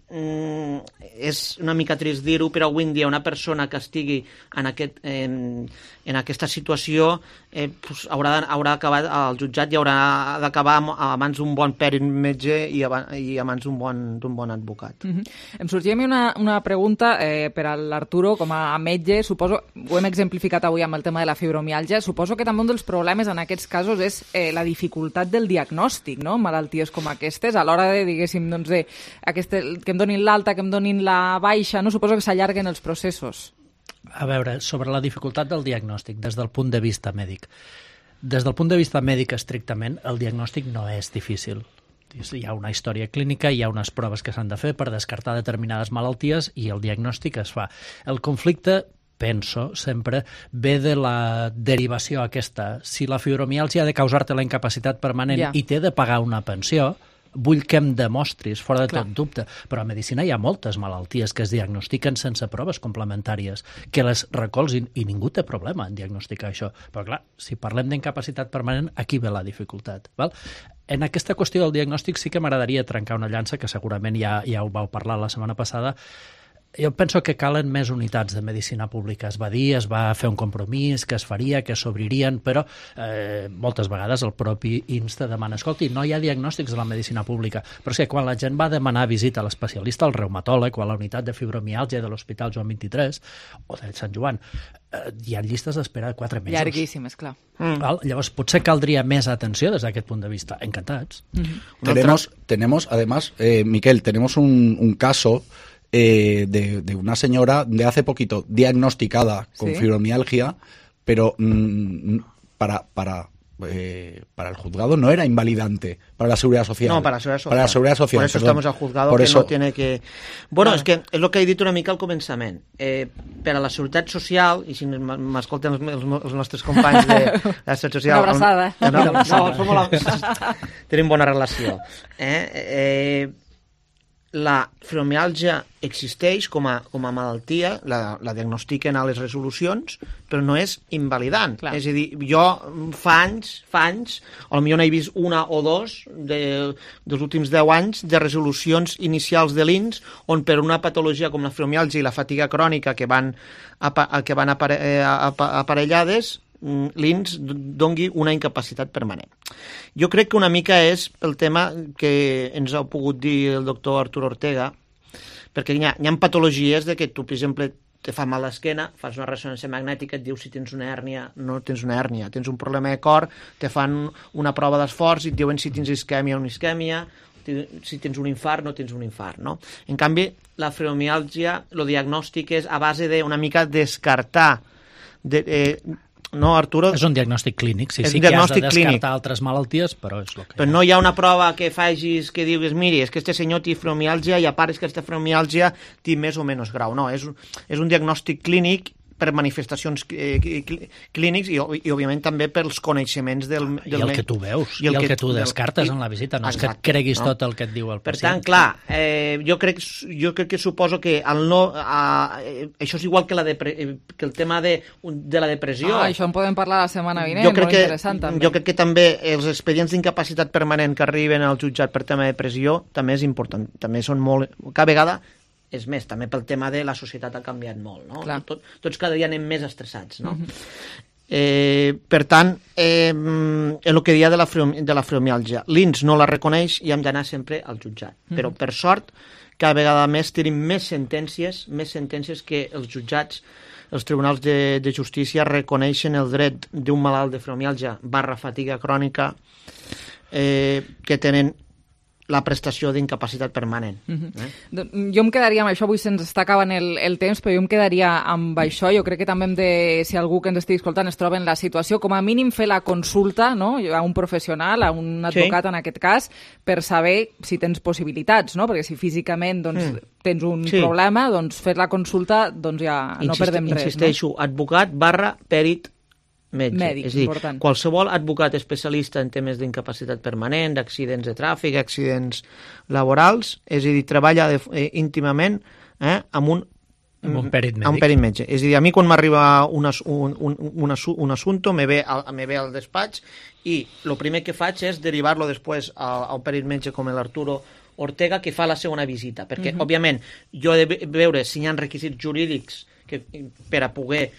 és una mica trist dir-ho, però avui en dia una persona que estigui en, aquest, en, en aquesta situació eh, pues, haurà, haurà d'acabar al jutjat i haurà d'acabar a mans d'un bon pèrit metge i a, i a mans d'un bon, d'un bon advocat. Mm-hmm. Em sorgia a mi una, una pregunta eh, per a l'Arturo, com a metge, suposo, ho hem exemplificat avui amb el tema de la fibromiàlgia. Suposo que també un dels problemes en aquests casos és eh, la dificultat del diagnòstic, no?, malalties com aquestes, a l'hora de, diguéssim, doncs, de aquesta, que em donin l'alta, que em donin la baixa, no? Suposo que s'allarguen els processos. A veure, sobre la dificultat del diagnòstic, des del punt de vista mèdic. Des del punt de vista mèdic, estrictament, el diagnòstic no és difícil. Hi ha una història clínica, hi ha unes proves que s'han de fer per descartar determinades malalties i el diagnòstic es fa. El conflicte, penso, sempre ve de la derivació aquesta. Si la fibromiàlgia ha de causar-te la incapacitat permanent yeah. i t'he de pagar una pensió, vull que em demostris, fora de Clar. Tot dubte. Però a medicina hi ha moltes malalties que es diagnostiquen sense proves complementàries, que les recolzin, i ningú té problema en diagnosticar això. Però clar, si parlem d'incapacitat permanent, aquí ve la dificultat. Val? En aquesta qüestió del diagnòstic sí que m'agradaria trencar una llança, que segurament ja, ja ho vau parlar la setmana passada. Jo penso que calen més unitats de medicina pública. Es va dir, es va fer un compromís, que es faria, que s'obririen, però eh, moltes vegades el propi I N S te demana, escolti, no hi ha diagnòstics de la medicina pública, però és que quan la gent va demanar visita a l'especialista, al reumatòleg o a la unitat de fibromiàlgia de l'Hospital Joan vint-i-tres o de Sant Joan, eh, hi ha llistes d'espera de quatre mesos. Llarguíssimes, clar. Mm. Val? Llavors, potser caldria més atenció des d'aquest punt de vista. Encantats. Mm-hmm. Tenemos, tenemos, además, eh, Miquel, tenemos un, un caso Eh, de, de una señora de hace poquito diagnosticada con ¿Sí? fibromialgia, pero mmm, para, para, eh, para el juzgado no era invalidante, para la Seguridad Social. No, para la Seguridad Social. Para la Seguridad Social, Por eso perdón. estamos al juzgado, Por que eso... no tiene que... Bueno, és que és el que he dit una mica al començament. Eh, per a la Seguretat Social, i si m'escolten els, els, els nostres companys de la Seguretat Social... Una abraçada. No, no, no, som molt... tenim bona relació. Eh? Eh, la fibromiàlgia existeix com a, com a malaltia, la, la diagnostiquen a les resolucions, però no és invalidant. Clar. És a dir, jo fa anys, fa anys, potser n'he vist una o dos de, dels últims deu anys de resolucions inicials de l'I N S on per una patologia com la fibromiàlgia i la fatiga crònica que van, que van apare, aparellades, l'I N S dongui una incapacitat permanent. Jo crec que una mica és el tema que ens ha pogut dir el doctor Artur Ortega, perquè hi ha, hi ha patologies de que tu, per exemple, te fa mal l'esquena, fas una ressonància magnètica, et diu si tens una hèrnia, no tens una hèrnia, tens un problema de cor, te fan una prova d'esforç i et diuen si tens isquèmia o no isquèmia, si tens un infart no tens un infart, no? En canvi, la fibromiàlgia, el diagnòstic és a base de una mica descartar de, eh, no, Arturo? És un diagnòstic clínic, sí, sí que has de descartar clínic. Altres malalties, però és el que... Però no hi ha una prova que facis que diguis, miri, és que este senyor té fibromiàlgia i a part és que aquesta fibromiàlgia té més o menys grau. No, és, és un diagnòstic clínic per manifestacions eh, clínics i, i, òbviament, també pels coneixements del... del I el que tu veus, i el, i el que, que tu descartes del, en la visita, no exacte, és que et creguis no? tot el que et diu el pacient. Per tant, clar, eh, jo, crec, jo crec que suposo que el no, eh, això és igual que, la depre, que el tema de, de la depressió. Ah, això en podem parlar la setmana vinent, jo crec molt que, interessant també. Jo crec que també els expedients d'incapacitat permanent que arriben al jutjat per tema de depressió també és important, també són molt... Cada vegada és més, també pel tema de la societat ha canviat molt, no? Tot, tots cada dia anem més estressats, no? Uh-huh. eh, per tant, eh, el que deia de la, de la fibromiàlgia, l'I N S no la reconeix i hem d'anar sempre al jutjat. Uh-huh. Però, per sort, cada vegada més tenim més sentències, més sentències que els jutjats, els tribunals de, de justícia reconeixen el dret d'un malalt de fibromiàlgia barra fatiga crònica eh, que tenen la prestació d'incapacitat permanent. Uh-huh. eh? Jo em quedaria amb això, avui se'ns està acabant el, el temps, però jo em quedaria amb això. Jo crec que també hem de, si algú que ens estigui escoltant es troba en la situació, com a mínim fer la consulta, no?, a un professional, a un advocat sí. en aquest cas, per saber si tens possibilitats, no? Perquè si físicament doncs, mm. tens un sí. problema, doncs fer la consulta doncs ja no Insist, perdem res. Insisteixo, no? Advocat barra pèrit metge. Mèdic, és a dir, important. Qualsevol advocat especialista en temes d'incapacitat permanent, d'accidents de tràfic, accidents laborals, és a dir, treballa de, eh, íntimament eh, amb un amb un pèrit mèdic. Amb un pèrit metge. És a dir, a mi quan m'arriba un, un, un, un, un assumpte, me ve, al, me ve al despatx i el primer que faig és derivar-lo després a, a un pèrit metge com l'Arturo Ortega, que fa la segona visita. Perquè, uh-huh. òbviament, jo he de veure si hi ha requisits jurídics que, per a poder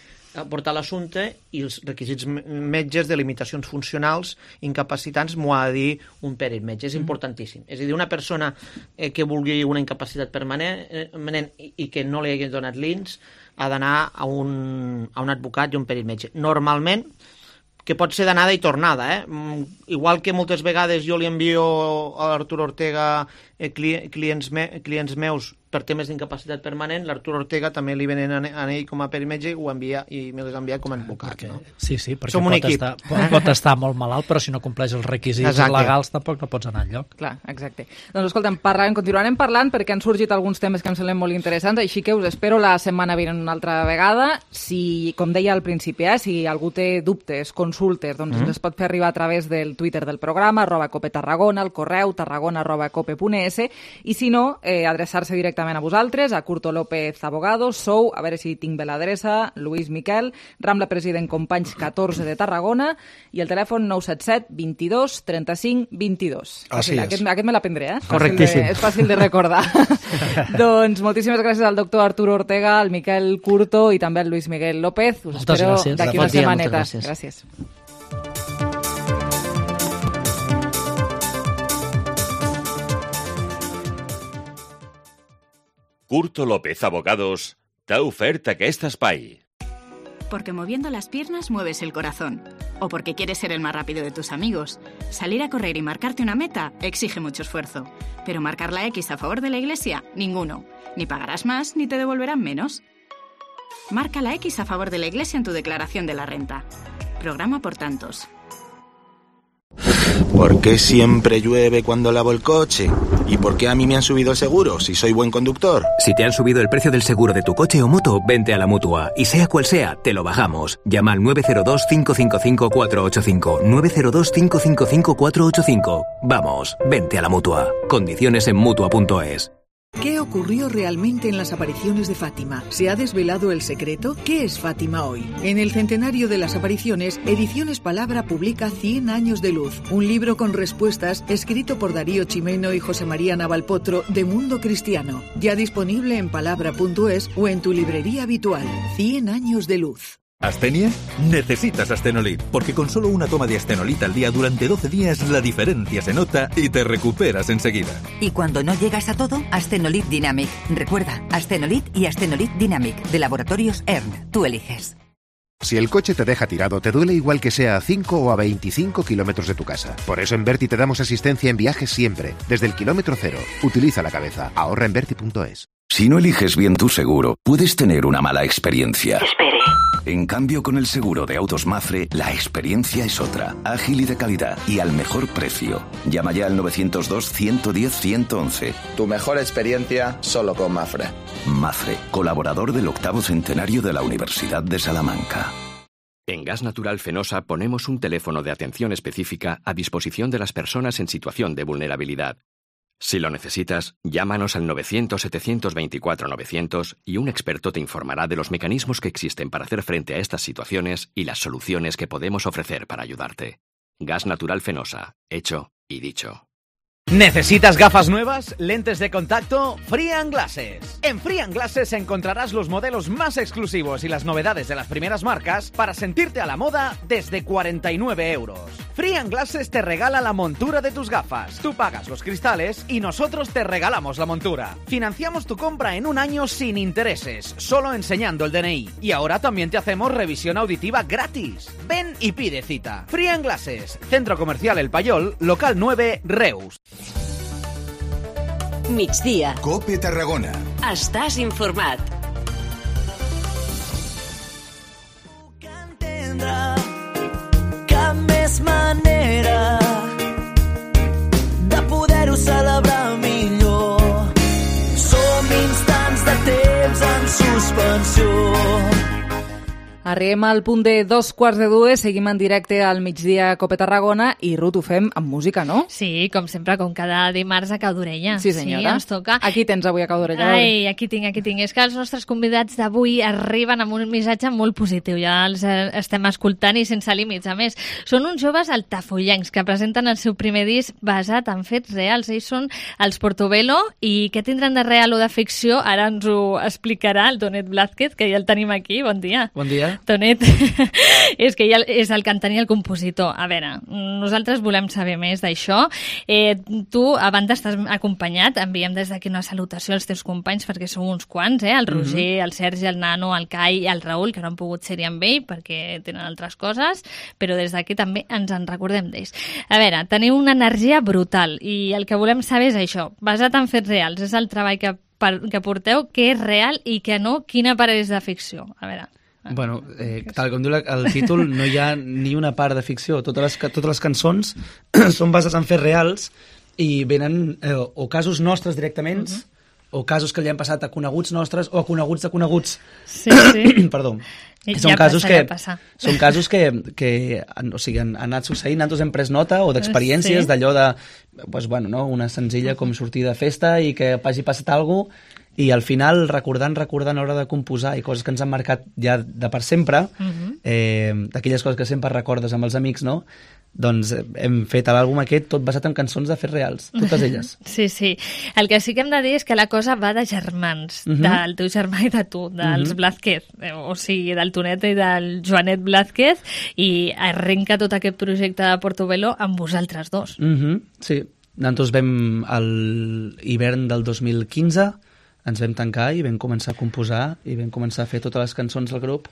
portar l'assumpte i els requisits metges de limitacions funcionals incapacitants m'ho ha de dir un pèrit metge. És importantíssim. És a dir, una persona eh, que vulgui una incapacitat permanent i, i que no li hagi donat l'I N S ha d'anar a un, a un advocat i un pèrit metge. Normalment, que pot ser d'anada i tornada, eh? Igual que moltes vegades jo li envio a l'Artur Ortega eh, clients, me, clients meus per temes d'incapacitat permanent, l'Artur Ortega també li venen a ell com a pèrit metge i ho envia i me les envia com a advocat. Perquè, no? Sí, sí, perquè Som pot estar, pot, pot estar molt malalt, però si no compleix els requisits exacte. legals tampoc no pots anar enlloc. Clar, exacte. Doncs escolta'm, parlarem, continuarem parlant perquè han sorgit alguns temes que em semblen molt interessants, així que us espero la setmana vinent una altra vegada. Si, com deia al principi, eh, si algú té dubtes, consultes, doncs mm. ens pot fer arribar a través del Twitter del programa, arroba Cope Tarragona, el correu tarragona arroba cope punt es, i si no, eh, adreçar-se directament a vosaltres, a Curto López Abogados, sou, a veure si tinc bé l'adreça, Lluís Miquel, Rambla President Companys catorze de Tarragona, i el telèfon nou set set vint-i-dos trenta-cinc vint-i-dos. Així és. Aquest, aquest me l'aprendré, eh? Correctíssim. De, és fàcil de recordar. Doncs moltíssimes gràcies al doctor Artur Ortega, al Miquel Curto i també al Lluís Miguel López. Us moltes espero gràcies. d'aquí una setmaneta. Gràcies. gràcies. Curto López Abogados t'ha ofert aquest espai. Porque moviendo las piernas mueves el corazón. O porque quieres ser el más rápido de tus amigos. Salir a correr y marcarte una meta exige mucho esfuerzo. Pero marcar la X a favor de la Iglesia, ninguno. Ni pagarás más ni te devolverán menos. Marca la X a favor de la Iglesia en tu declaración de la renta. Programa por tantos. ¿Por qué siempre llueve cuando lavo el coche? ¿Y por qué a mí me han subido el seguro si soy buen conductor? Si te han subido el precio del seguro de tu coche o moto, vente a la Mutua. Y sea cual sea, te lo bajamos. Llama al nueve cero dos, cinco cinco cinco, cuatro ocho cinco. nueve cero dos, cinco cinco cinco, cuatro ocho cinco. Vamos, vente a la Mutua. Condiciones en Mutua punto es. ¿Qué ocurrió realmente en las apariciones de Fátima? ¿Se ha desvelado el secreto? ¿Qué es Fátima hoy? En el centenario de las apariciones, Ediciones Palabra publica Cien años de luz, un libro con respuestas escrito por Darío Chimeno y José María Navalpotro de Mundo Cristiano, ya disponible en palabra punto es o en tu librería habitual. Cien años de luz. ¿Astenia? Necesitas Astenolit, porque con solo una toma de Astenolit al día durante doce días la diferencia se nota y te recuperas enseguida. Y cuando no llegas a todo, Astenolit Dynamic. Recuerda, Astenolit y Astenolit Dynamic, de Laboratorios E R N. Tú eliges. Si el coche te deja tirado, te duele igual que sea a cinco o a veinticinco kilómetros de tu casa. Por eso en Berti te damos asistencia en viajes siempre, desde el kilómetro cero. Utiliza la cabeza. Ahorra en Berti punto es. Si no eliges bien tu seguro, puedes tener una mala experiencia. Espere. En cambio, con el seguro de autos Mafre, la experiencia es otra, ágil y de calidad, y al mejor precio. Llama ya al nueve cero dos, ciento diez, ciento once. Tu mejor experiencia solo con Mafre. Mafre, colaborador del octavo centenario de la Universidad de Salamanca. En Gas Natural Fenosa ponemos un teléfono de atención específica a disposición de las personas en situación de vulnerabilidad. Si lo necesitas, llámanos al novecientos, setecientos veinticuatro, novecientos y un experto te informará de los mecanismos que existen para hacer frente a estas situaciones y las soluciones que podemos ofrecer para ayudarte. Gas Natural Fenosa, hecho y dicho. ¿Necesitas gafas nuevas? ¿Lentes de contacto? Free and Glasses. En Free and Glasses encontrarás los modelos más exclusivos y las novedades de las primeras marcas para sentirte a la moda desde cuarenta y nueve euros. Free and Glasses te regala la montura de tus gafas. Tú pagas los cristales y nosotros te regalamos la montura. Financiamos tu compra en un año sin intereses, solo enseñando el D N I. Y ahora también te hacemos revisión auditiva gratis. Ven y pide cita. Free and Glasses, Centro Comercial El Payol, local nueve, Reus. Migdia. Cope Tarragona. Estàs informat. Puc entendre cap més manera de poder-ho celebrar millor. Som instants de temps en suspensió. Arribem al punt de dos quarts de dues, seguim en directe al migdia Cope Tarragona i, Ruth, ho fem amb música, no? Sí, com sempre, com cada dimarts a Cau d'Orella. Sí, senyora. Sí, ens toca. Aquí tens avui a Cau d'Orella. Ai, aquí tinc, aquí tinc. És que els nostres convidats d'avui arriben amb un missatge molt positiu. Ja els estem escoltant i sense límits. A més, són uns joves altafollencs que presenten el seu primer disc basat en fets reals. Ells són els Portobello i què tindran de real o de ficció? Ara ens ho explicarà el Tonet Blázquez, que ja el tenim aquí. Bon dia. Bon dia. Tonet, és que ja és el cantant i el compositor. A veure, nosaltres volem saber més d'això. Eh, tu, a banda, estàs acompanyat. Enviem des d'aquí una salutació als teus companys, perquè són uns quants, eh? El Roger, mm-hmm. el Sergi, el Nano, el Cai i el Raül, que no han pogut ser-hi amb ell perquè tenen altres coses, però des d'aquí també ens en recordem d'ells. A veure, teniu una energia brutal i el que volem saber és això, basat en fets reals. És el treball que, per, que porteu, què és real i què no, quina part és de ficció. A veure... Bueno, eh, tal com diu el títol, no hi ha ni una part de ficció. Totes les, totes les cançons són bases en fets reals i venen eh, o casos nostres directament, uh-huh. o casos que li han passat a coneguts nostres o a coneguts de coneguts. Sí, sí. Perdó. I són ja casos passarà, que, passar. són casos que, que o sigui, han, han anat succeint, nosaltres hem pres nota o d'experiències, sí. d'allò de, pues, bueno, no? Una senzilla com sortir de festa i que hagi passat alguna cosa i al final recordant, recordant a l'hora de composar i coses que ens han marcat ja de per sempre, uh-huh. eh, d'aquelles coses que sempre recordes amb els amics, no? Doncs hem fet l'àlbum aquest tot basat en cançons de fets reals, totes elles. Sí, sí. El que sí que hem de dir és que la cosa va de germans, uh-huh. del teu germà i de tu, dels uh-huh. Blázquez, o sigui, del Tonet i del Joanet Blázquez, i arrenca tot aquest projecte de Portobello amb vosaltres dos. Uh-huh. Sí, nosaltres vam a l'hivern del dos mil quinze, ens vam tancar i vam començar a composar i vam començar a fer totes les cançons del grup,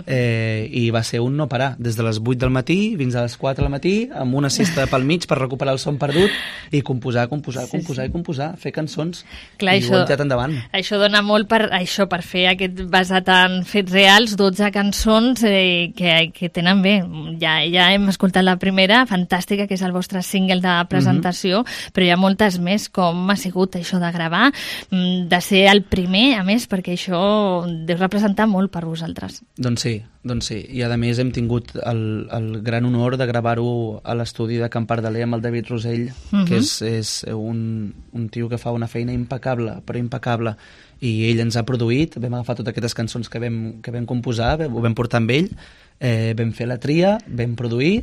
eh, i va ser un no parar, des de les vuit del matí fins a les quatre del matí, amb una siesta pel mig per recuperar el son perdut i composar, composar, sí, composar sí. i composar, fer cançons. Clar, i això, ho hem tirat endavant. Això dona molt per això, per fer aquest basat en fets reals, dotze cançons eh, que, que tenen bé. Ja, ja hem escoltat la primera, fantàstica, que és el vostre single de presentació, mm-hmm. però hi ha moltes més. Com ha sigut això de gravar, de ser ser el primer, a més, perquè això deu representar molt per vosaltres. Doncs sí, doncs sí. I a més hem tingut el, el gran honor de gravar-ho a l'estudi de Can Pardaler amb el David Rosell, uh-huh. que és, és un, un tio que fa una feina impecable, però impecable. I ell ens ha produït, vam agafar totes aquestes cançons que vam, que vam composar, ho vam portar amb ell, eh, vam fer la tria, vam produir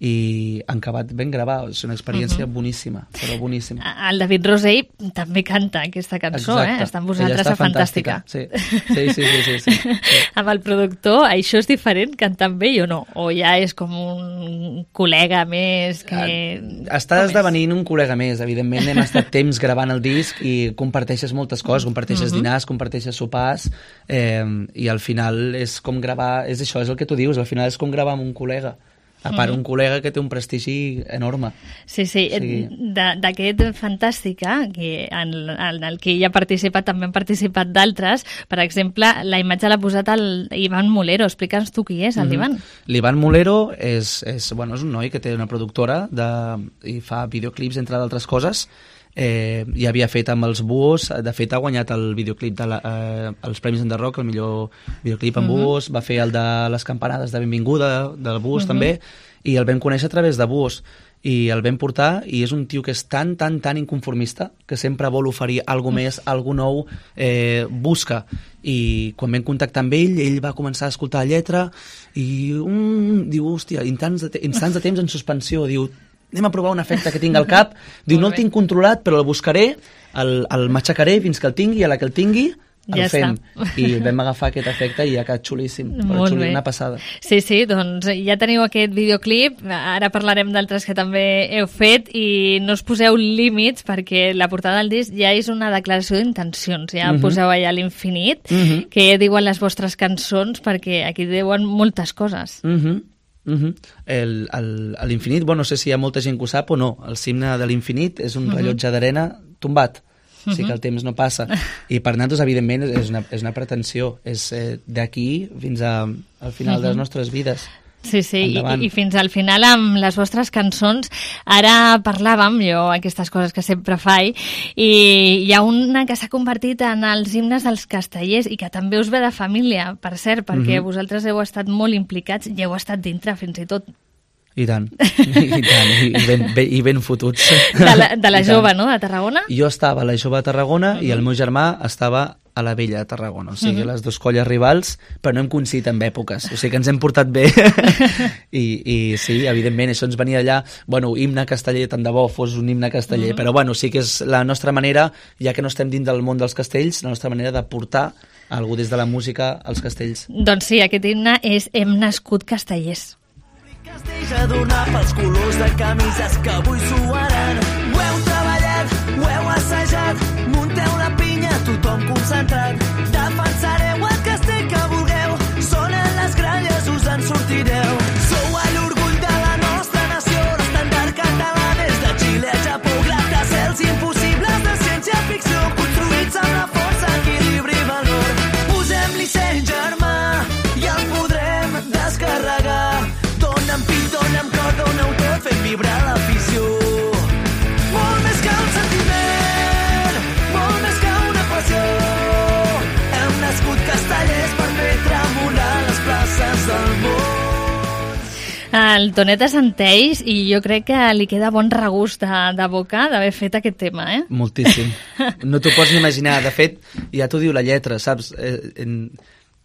i en acabat ben gravar. És una experiència uh-huh. boníssima, però boníssima. El David Rosell també canta aquesta cançó, exacte. eh? Està amb vosaltres a Fantàstica. Sí. Sí, sí, sí, sí, sí, sí. Amb el productor, això és diferent cantar amb ell o no? O ja és com un col·lega més que... Està esdevenint un col·lega més, evidentment. Hem estat temps gravant el disc i comparteixes moltes coses, comparteixes uh-huh. dinars, comparteixes sopars, eh, i al final és com gravar... És això, és el que tu dius, al final és com gravar amb un col·lega. A part, un col·lega que té un prestigi enorme. Sí, sí. O sigui... D'aquest Fantàstica, que en, en el que ell ha participat, també han participat d'altres. Per exemple, la imatge l'ha posat el Ivan Molero. Explica'ns tu qui és, el mm-hmm. Ivan. L'Ivan Molero és, és, bueno, és un noi que té una productora de, i fa videoclips, entre d'altres coses. Eh, ja havia fet amb els Búhos, de fet ha guanyat el videoclip de la, eh, els Premis de Rock, el millor videoclip amb uh-huh. Búhos, va fer el de les campanades de benvinguda del Búhos uh-huh. també, i el vam conèixer a través de Búhos i el vam portar, i és un tio que és tan, tan, tan inconformista, que sempre vol oferir alguna més, alguna nou, eh, busca, i quan vam contactar amb ell, ell va començar a escoltar la lletra i um, diu, hòstia, instants de, instants de temps en suspensió, diu, anem a provar un efecte que tinc al cap, diu, no el tinc controlat, però el buscaré, el, el matxacaré fins que el tingui, i a la que el tingui, el ja fem. Està. I vam agafar aquest efecte i ha quedat xulíssim, però xulíssim, una passada. Sí, sí, doncs ja teniu aquest videoclip, ara parlarem d'altres que també heu fet, i no us poseu límits, perquè la portada del disc ja és una declaració d'intencions, ja uh-huh. poseu allà l'infinit, uh-huh. que diuen les vostres cançons, perquè aquí diuen moltes coses. Mhm. Uh-huh. El, el, l'infinit, bueno, no sé si hi ha molta gent que ho sap o no, el signe de l'infinit és un uh-huh. rellotge d'arena tombat, uh-huh. o sigui que el temps no passa, i per nosaltres evidentment és una, és una pretensió, és eh, d'aquí fins a, al final uh-huh. de les nostres vides. Sí, sí, i, i fins al final amb les vostres cançons. Ara parlàvem, jo aquestes coses que sempre faig, i hi ha una que s'ha convertit en els himnes dels castellers i que també us ve de família, per cert, perquè mm-hmm. vosaltres heu estat molt implicats i heu estat dintre fins i tot. I tant, i tant, i ben, ben, i ben fotuts. De la, de la jove, no?, de Tarragona? Jo estava a la jove de Tarragona mm-hmm. i el meu germà estava a la vella de Tarragona, o sigui, uh-huh. les dues colles rivals, però no hem coincidit en èpoques, o sigui que ens hem portat bé, I, i sí, evidentment, això ens venia allà, bueno, himne casteller, tant de bo fos un himne casteller, uh-huh. però bueno, sí que és la nostra manera, ja que no estem dins del món dels castells, la nostra manera de portar algú des de la música als castells. Doncs sí, aquest himne és Hem nascut castellers. Castells a donar pels colors de camises que avui suaran. Ho heu treballat, ho heu assajat, munteu la pinya, tothom concentrat. Defensareu el castell que vulgueu, sonen les gralles, us en sortireu. Sou a l'orgull de la nostra nació, l'estandard català des de Xile a Japó, gratacels impossibles de ciència-ficció, construïts amb la força, equilibri i valor. Posem-li seny, germà, i el podrem descarregar. Dóna'm pit, dóna'm cor, dóna-ho tot, fent vibrar l'afició. Molt més que un sentiment, molt més que una passió. Hem nascut castellers per fer tremolar les places del món. El Tonet assenteix i jo crec que li queda bon regust de, de boca d'haver fet aquest tema, eh? Moltíssim. No t'ho pots ni imaginar. De fet, ja t'ho diu la lletra, saps? Eh, en...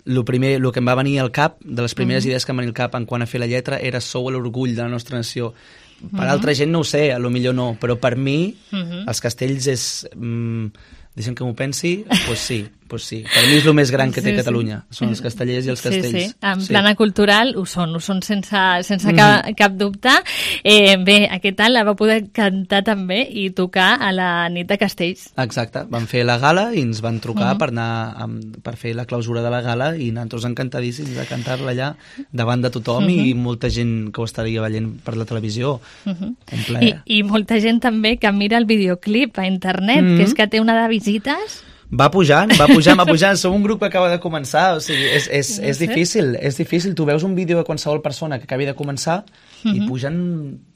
El primer, el que em va venir al cap, de les primeres uh-huh. idees que em va venir al cap en quant a fer la lletra, era sou l'orgull de la nostra nació. Per uh-huh. altra gent no ho sé, a lo millor no, però per mi uh-huh. els castells és... Mm, deixem que m'ho pensi, doncs pues sí, pues sí. Per mi és el més gran que té sí, Catalunya, sí. Són els castellers i els castells. Sí, sí, en sí. plana cultural ho són, ho són sense, sense mm-hmm. cap, cap dubte. Eh, bé, aquest any la va poder cantar també i tocar a la nit de castells. Exacte, van fer la gala i ens van trucar mm-hmm. per anar amb, per fer la clausura de la gala i nosaltres encantadíssims de cantar-la allà davant de tothom mm-hmm. i molta gent que ho estaria veient per la televisió. Mm-hmm. I, I molta gent també que mira el videoclip a internet, mm-hmm. que és que té una de visites. Va pujant, va pujant, va pujant. Som un grup que acaba de començar, o sigui, és, és, no és difícil, és difícil. Tu veus un vídeo de qualsevol persona que acabi de començar uh-huh. i pugen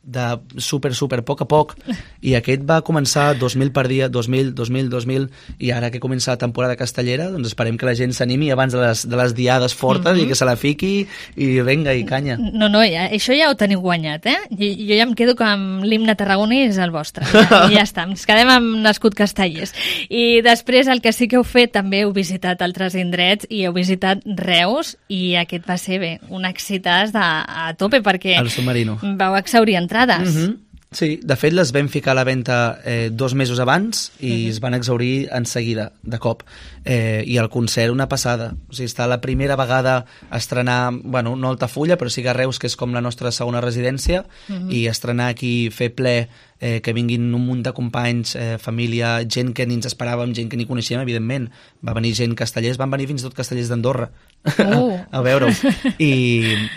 de super, super poc a poc, i aquest va començar dos mil per dia, dos mil, dos mil, dos mil, i ara que comença la temporada castellera, doncs esperem que la gent s'animi abans de les, de les diades fortes mm-hmm. i que se la fiqui i venga, i canya. No, no, ja, això ja ho teniu guanyat, eh? Jo, jo ja em quedo que amb l'himne tarragoní és el vostre. Ja, ja està, ens quedem amb Nascut Castellers. I després el que sí que heu fet, també heu visitat altres indrets i heu visitat Reus, i aquest va ser, bé, un excitàs de, a tope, perquè el submarino. Vau exhaurir entrades. Mm-hmm. Sí, de fet les vam ficar a la venda eh, dos mesos abans i mm-hmm. es van exhaurir en seguida, de cop. Eh, I el concert una passada. O sigui, està la primera vegada a estrenar, bueno, no Altafulla, però sí que a Reus, que és com la nostra segona residència, mm-hmm. i estrenar aquí, fer ple, eh, que vinguin un munt de companys, eh, família, gent que ni ens esperàvem, gent que ni coneixíem, evidentment. Va venir gent castellers, van venir fins i tot castellers d'Andorra uh. a veure-ho. I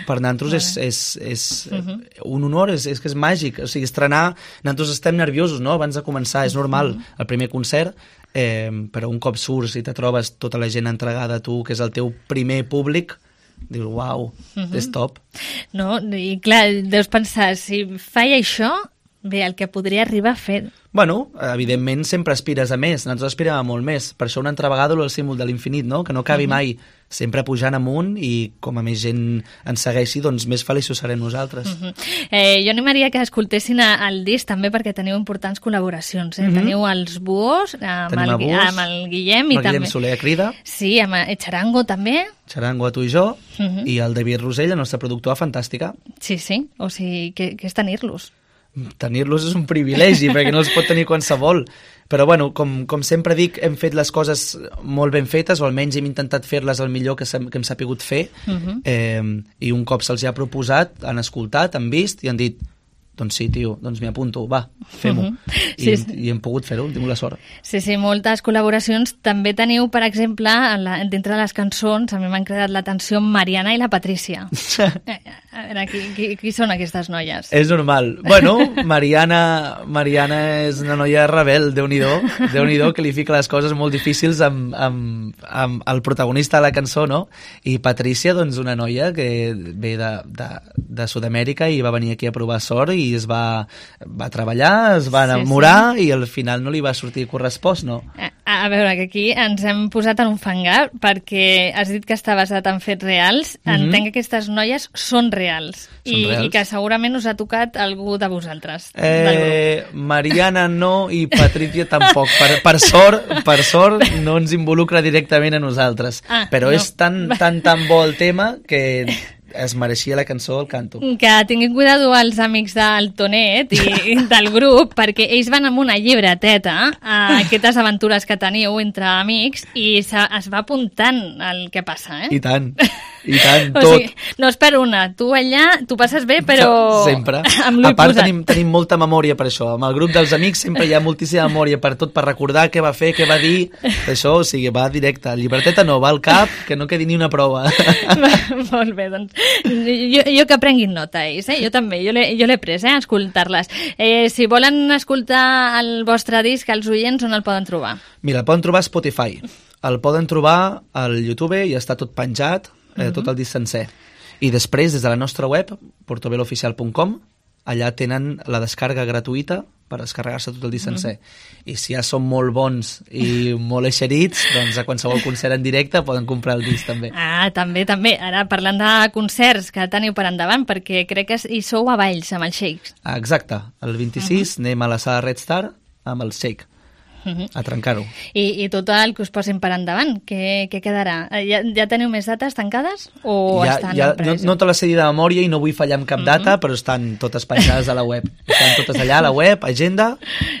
per nosaltres és, és, és uh-huh. un honor, és, és que és màgic. O sigui, estrenar, nosaltres estem nerviosos, no?, abans de començar, és normal, uh-huh. el primer concert, eh, però un cop surts i te trobes tota la gent entregada a tu, que és el teu primer públic, dius, uau, uh-huh. és top. No, i clar, deus pensar, si faig això, bé, el que podria arribar a fer. Bueno, evidentment sempre aspires a més, nosaltres aspirem a molt més, per això una altra vegada el símbol de l'infinit, no?, que no acabi uh-huh. mai, sempre pujant amunt, i com a més gent ens segueixi, doncs més feliços serem nosaltres. Uh-huh. eh, jo animaria que escoltessin el disc també, perquè teniu importants col·laboracions, eh? Uh-huh. Teniu els Buos, amb, el, Buos, amb el Guillem, i el Guillem també... Soler a Crida. Sí, amb el Charango també. Charango a tu i jo, uh-huh. i el David Rosell, la nostra productora fantàstica. Sí, sí, o sigui, que, que és tenir-los. Tenir-los és un privilegi, perquè no els pot tenir qualsevol. Però, bueno, com, com sempre dic, hem fet les coses molt ben fetes, o almenys hem intentat fer-les el millor que, que hem sapigut fer, uh-huh. eh, i un cop se'ls ha proposat, han escoltat, han vist i han dit, doncs sí, tio, doncs m'hi apunto, va, fem-ho. Uh-huh. I, sí, sí. I hem pogut fer-ho, hem tingut la sort. Sí, sí, moltes col·laboracions. També teniu, per exemple, en la, dintre de les cançons, a mi m'han cridat l'atenció Mariana i la Patrícia. A veure, qui, qui, qui són aquestes noies? És normal. Bueno, Mariana, Mariana és una noia rebel, Déu-n'hi-do, Déu-n'hi-do, que li fica les coses molt difícils amb, amb, amb el protagonista de la cançó, no? I Patrícia, doncs, una noia que ve de, de, de Sud-amèrica i va venir aquí a provar sort i es va, va treballar, es va enamorar, sí, sí. i al final no li va sortir correspost, no? A, a veure, que aquí ens hem posat en un fangar perquè has dit que està basat en fets reals. Mm-hmm. Entenc que aquestes noies són reals, són i, reals. I que segurament us ha tocat algú de vosaltres, eh, del grup. Mariana no i Patrícia tampoc. Per, per, sort, per sort no ens involucra directament a nosaltres. Ah, però no. És tan, tan, tan bo el tema que es mereixia la cançó, el canto. Que tinguin cuidado els amics del Tonet i del grup, perquè ells van amb una llibreteta a aquestes aventures que teniu entre amics i es va apuntant el que passa, eh? I tant, i tant, o tot. Sigui, no és per una, tu allà, tu passes bé, però... Sempre. Amb l'ull a part posat. tenim, tenim molta memòria per això. Amb el grup dels amics sempre hi ha moltíssima memòria per tot, per recordar què va fer, què va dir, això, o sigui, va directe. Llibreteta no, va al cap, que no quedi ni una prova. Molt bé, doncs jo, jo que prenguin nota ells, eh? Jo també, jo l'he pres, eh, a escoltar-les. Eh, si volen escoltar el vostre disc, els oients, on el poden trobar? Mira, el poden trobar a Spotify, el poden trobar al YouTube i està tot penjat, eh, uh-huh. tot el disc sencer. I després, des de la nostra web, portoveloficial punt com, allà tenen la descarga gratuïta per descarregar-se tot el disc sencer. Mm. I si ja són molt bons i molt eixerits, doncs a qualsevol concert en directe poden comprar el disc també. Ah, també, també. Ara parlant de concerts que teniu per endavant, perquè crec que hi sou a Valls amb els Shakes. Ah, exacte. El vint-i-sis uh-huh. anem a la sala Red Star amb el Shake. Uh-huh. A trencar-ho. I, I tot el que us posin per endavant, què, què quedarà? Ja, ja teniu més dates tancades? O ja, estan ja, en presa? No, no te les sé dir de memòria i no vull fallar amb cap uh-huh. data, però estan totes penjades a la web. Estan totes allà a la web, agenda,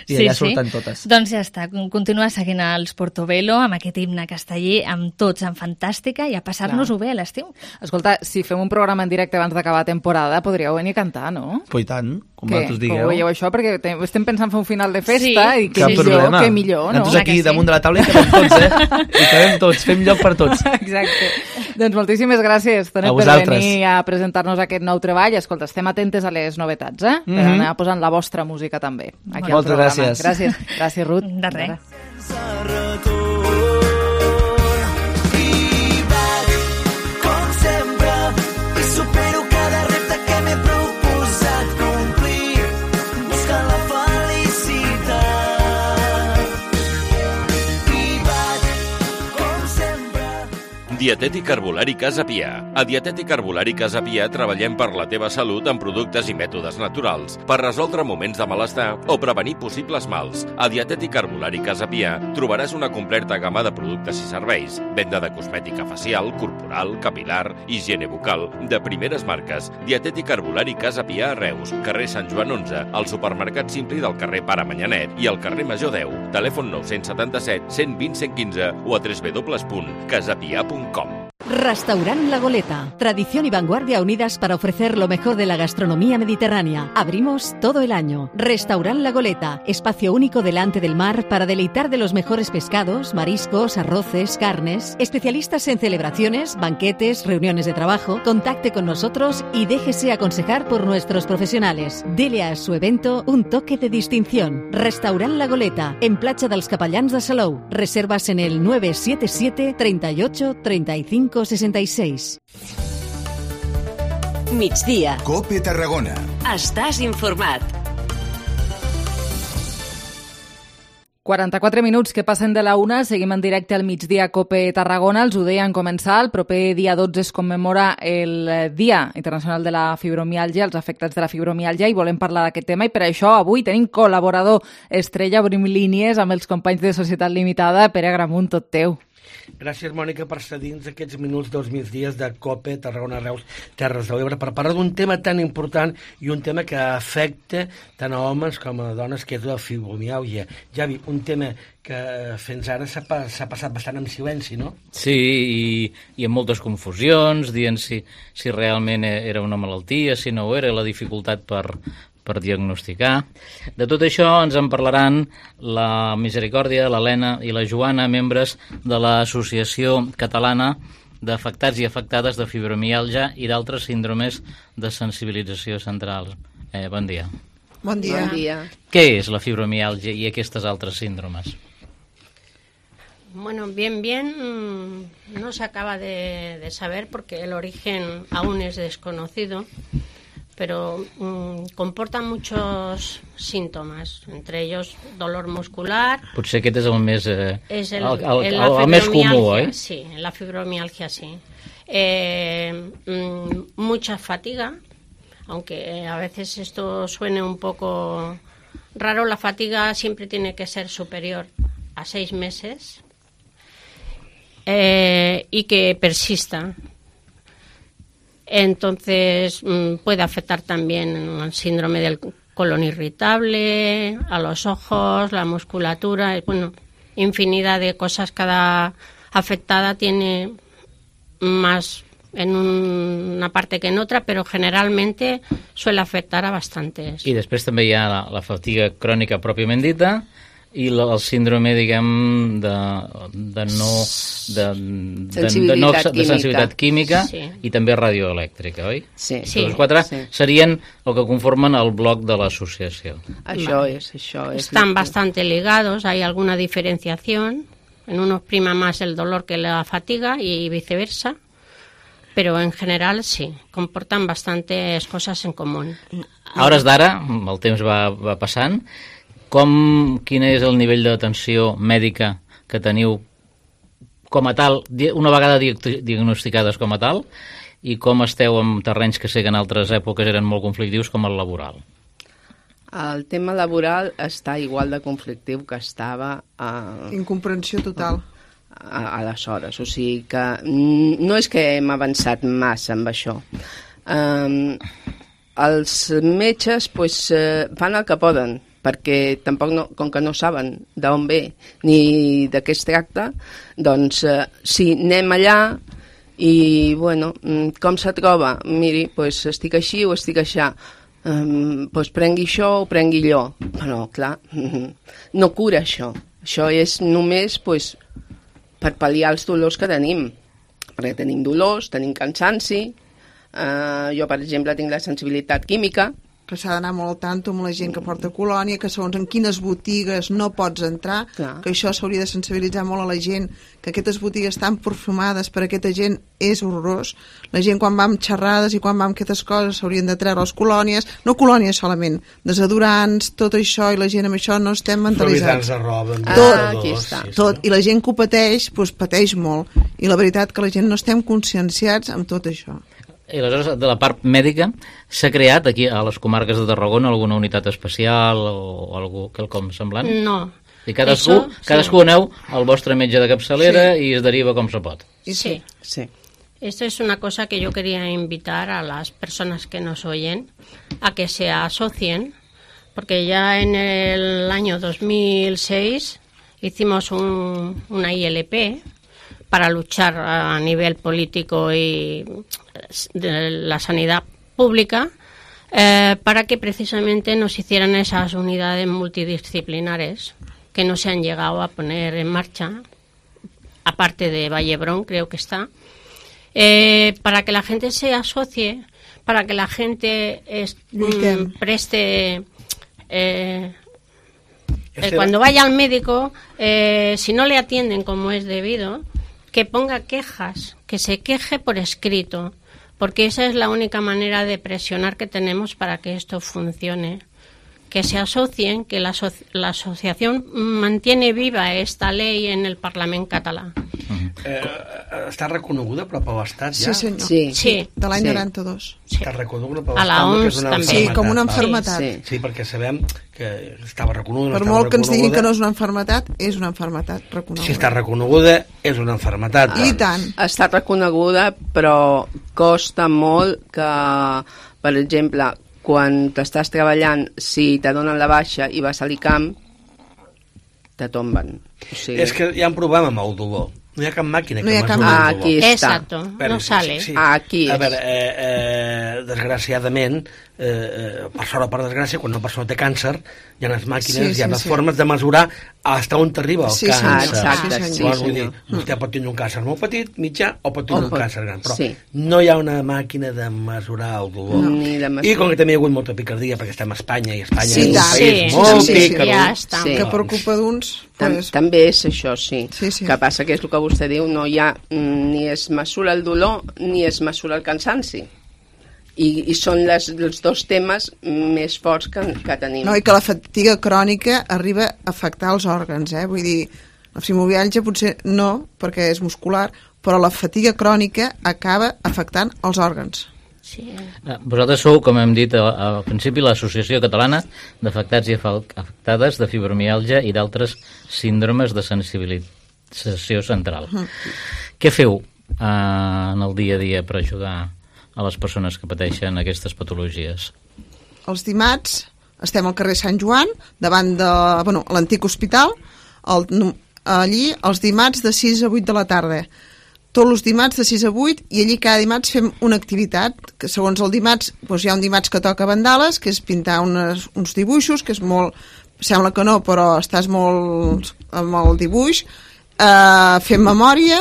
i allà sí, surten sí. totes. Doncs ja està, continua seguint els Portobello amb aquest himne casteller, amb tots, en fantàstica, i a passar-nos-ho bé a l'estiu. Escolta, si fem un programa en directe abans d'acabar la temporada, podríeu venir a cantar, no? Pues i tant, com Què? vosaltres digueu. Com veieu això? Perquè estem pensant fer un final de festa sí, i que sí, millor, sí. que millor, no? Nosaltres aquí sí. damunt de la taula i quedem tots, eh? I quedem tots, fem lloc per tots. Exacte. Doncs moltíssimes gràcies, Tonet, per venir a presentar-nos aquest nou treball. Escolta, estem atentes a les novetats, eh? Per mm-hmm. anar posant la vostra música també. Aquí Moltes gràcies. Gràcies. Gràcies, Ruth. De res. I vaig, com sempre, i supero cada repte que m'he proposat complir. Dietètic Herbolari Casa Pià. A Dietètic Herbolari Casa Pià treballem per la teva salut amb productes i mètodes naturals, per resoldre moments de malestar o prevenir possibles mals. A Dietètic Herbolari Casa Pià trobaràs una completa gamma de productes i serveis, venda de cosmètica facial, corporal, capilar, higiene bucal, de primeres marques. Dietètic Herbolari Casa Pià a Reus, carrer Sant Joan onze, al supermercat Simpli del carrer Pare Manyanet i al carrer Major deu. Telèfon nou set set cent vint cent quinze o a w w w punt casapia punt com. Restaurant La Goleta. Tradición y vanguardia unidas para ofrecer lo mejor de la gastronomía mediterránea. Abrimos todo el año. Restaurant La Goleta. Espacio único delante del mar para deleitar de los mejores pescados, mariscos, arroces, carnes. Especialistas en celebraciones, banquetes, reuniones de trabajo. Contacte con nosotros y déjese aconsejar por nuestros profesionales. Dele a su evento un toque de distinción. Restaurant La Goleta. En Platja dels Capellans de Salou. Reservas en el nueve siete siete, treinta y ocho, treinta y cinco sesenta y seis. Migdia. Cope Tarragona. Estàs informat. quaranta-quatre minuts que passen de la una, seguim en directe al migdia Cope Tarragona. Els ho deien començar, el proper dia dotze es commemora el Dia Internacional de la Fibromiàlgia, els afectats de la fibromiàlgia, i volem parlar d'aquest tema, i per això avui tenim col·laborador estrella, obrim línies amb els companys de Societat Limitada. Pere Agramunt, tot teu. Gràcies, Mònica, per cedir-nos aquests minuts dels migdies de Cope, Tarragona, Reus, Terres de l'Ebre, per parlar d'un tema tan important i un tema que afecta tant a homes com a dones, que és la fibromiàlgia. Javi, un tema que fins ara s'ha passat bastant en silenci, no? Sí, i, i amb moltes confusions, dient si, si realment era una malaltia, si no ho era, la dificultat per... per diagnosticar. De tot això ens en parlaran la Misericòrdia, l'Helena i la Joana, membres de l'Associació Catalana d'Afectats i Afectades de Fibromiàlgia i d'altres síndromes de sensibilització central. Eh, bon dia. Bon dia. Bon dia. Què és la fibromiàlgia i aquestes altres síndromes? Bueno, bien, bien, no se acaba de, de saber porque el origen aún es desconocido, pero mmm, comportan muchos síntomes, entre ellos dolor muscular. Potser aquest és el més, eh, és el, el, el, el, el, el més comú, oi? Sí, la fibromialgia, sí. Eh, mmm, mucha fatiga, aunque a veces esto suene un poco raro, la fatiga siempre tiene que ser superior a seis meses eh, y que persista. Entonces puede afectar también al síndrome del colon irritable, a los ojos, la musculatura, bueno, infinidad de cosas. Cada afectada tiene más en una parte que en otra, pero generalmente suele afectar a bastantes. I després també hi ha la, la fatiga crònica pròpiament dita, i la, el síndrome, diguem, de, de no... De, de, de, no, de sensibilitat química, sí. I també radioelèctrica, oi? Sí. sí. Els quatre sí. serien el que conformen el bloc de l'associació. Això és, això és. Están bastante ligados, hay alguna diferenciación, en unos prima más el dolor que la fatiga y viceversa, pero en general sí, comportan bastantes cosas en común. A hores d'ara, el temps va, va passant, com, quin és el nivell d'atenció mèdica que teniu com a tal, una vegada diagnosticades com a tal, i com esteu en terrenys que sé que en altres èpoques eren molt conflictius, com el laboral? El tema laboral està igual de conflictiu que estava... A... Incomprensió total. A, aleshores, o sigui que no és que hem avançat massa amb això. Um, els metges pues, uh, fan el que poden, perquè tampoc, no, com que no saben d'on ve ni de què es tracta, doncs eh, sí, anem allà i, bueno, com se troba? Miri, pues, estic així o estic aixà. Um, pues, prengui això o prengui allò. Però, clar, no cura això. Això és només pues, per pal·liar els dolors que tenim. Perquè tenim dolors, tenim cansanci. Uh, jo, per exemple, tinc la sensibilitat química, que s'ha d'anar molt al tanto amb la gent que porta colònia, que segons en quines botigues no pots entrar, clar. Que això s'hauria de sensibilitzar molt a la gent, que aquestes botigues tan perfumades per a aquesta gent és horrorós. La gent quan va amb xerrades i quan va amb aquestes coses s'haurien de treure les colònies, no colònies solament, desodorants, tot això, i la gent amb això no estem mentalitzats. Suavitzants de roba. Tot, ah, aquí està. Sí, sí. Tot, i la gent que ho pateix, doncs pateix molt, i la veritat que la gent no estem conscienciats amb tot això. I aleshores, de la part mèdica, s'ha creat aquí a les comarques de Tarragona alguna unitat especial o algú quelcom semblant? No. I cadascú, Eso, cadascú sí. aneu al vostre metge de capçalera sí. i es deriva com se pot. Sí. Sí. Esto es una cosa que yo quería invitar a las personas que nos oyen a que se asocien, porque ya en el año dos mil seis hicimos un, una I L P para luchar a nivel político y de la sanidad pública, eh, para que precisamente nos hicieran esas unidades multidisciplinares que no se han llegado a poner en marcha, aparte de Vallebrón, creo que está, eh, para que la gente se asocie, para que la gente es, mm, preste... Eh, eh, cuando vaya al médico, eh, si no le atienden como es debido, que ponga quejas, que se queje por escrito, porque esa es la única manera de presionar que tenemos para que esto funcione. Que se asocien, que la, aso la asociación mantiene viva esta ley en el Parlament català. Eh, està reconeguda però per l'Estat ja? Sí, senyor. Sí. Sí. De l'any Sí. noranta-dos. Sí. Està reconeguda per A la l'Estat, O M S que és una també. enfermetat. Sí, com una enfermetat. Sí, sí, perquè sabem que estava reconeguda. Per no molt que ens diguin reconeguda. que no és una enfermetat, és una enfermetat reconeguda. Si està reconeguda, és una enfermetat. I tant. Està reconeguda, però costa molt que, per exemple, quan t'estàs treballant, si te donen la baixa i vas a l'ICAM, te tomben. O sigui... És que hi ha un problema amb el dolor. No hi ha cap màquina que No hi ha cap mesuri el màquina. dolor. Aquí està. Exacto, no sale. Aquí A és. veure, eh, eh, desgraciadament, eh, eh, per sort o per desgràcia, quan una persona té càncer, hi ha les màquines, Sí, hi ha sí, les sí. formes de mesurar fins on t'arriba el Sí, càncer. senyor. Exacte, sí, Llavors, vull senyor. dir, vostè pot tenir un càncer molt petit, mitjà, o pot tenir O un pot- càncer gran, però sí. no hi ha una màquina de mesurar el dolor. No. Ni de mesurar. I com que també hi ha hagut molta picardia, perquè estem a Espanya, i Espanya Sí, és un tant. país Sí, molt sí, sí, picardós. ja està. Sí. Que per culpa d'uns... Tam Pues... També és això, sí. Sí, sí. Que passa que és el que vostè diu, no hi ha mm, ni es mesura el dolor ni es mesura el cansanci. I, i són les, els dos temes més forts que, que tenim. No, i que la fatiga crònica arriba a afectar els òrgans, eh? Vull dir, la fibromialgia potser no, perquè és muscular, però la fatiga crònica acaba afectant els òrgans. Sí. Vosaltres sou, com hem dit al, al principi, l'Associació Catalana d'Afectats i Afectades de Fibromialgia i d'altres síndromes de sensibilització central. Mm. Què feu eh, en el dia a dia per ajudar a les persones que pateixen aquestes patologies? Els dimarts estem al carrer Sant Joan, davant de bueno, l'antic hospital, el, allí els dimarts de sis a vuit de la tarda. Tots els dimarts de sis a vuit, i allí cada dimarts fem una activitat, que segons el dimarts, doncs hi ha un dimarts que toca vandales, que és pintar unes, uns dibuixos, que és molt... Sembla que no, però estàs molt amb el dibuix. Uh, fem memòria,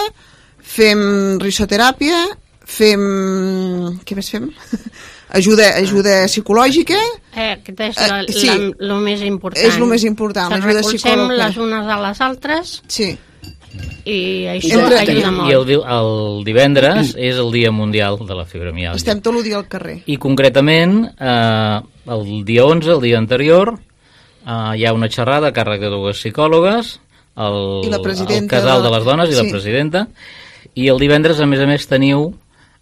fem risoteràpia, fem... Què més fem? ajuda, ajuda psicològica. Eh, aquest és la, Eh, sí. la, lo més important. És lo més important, Ens l'ajuda recolzem psicològica. les unes a les altres. Sí. I això Entre- ajuda molt. I el, di- el divendres és el Dia Mundial de la Fibromialgia. Estem tot el dia al carrer. I concretament, eh, el dia onze, el dia anterior, eh, hi ha una xerrada a càrrec de dues psicòlogues, el, I la el presidenta casal de de- les dones i sí. la presidenta, i el divendres, a més a més, teniu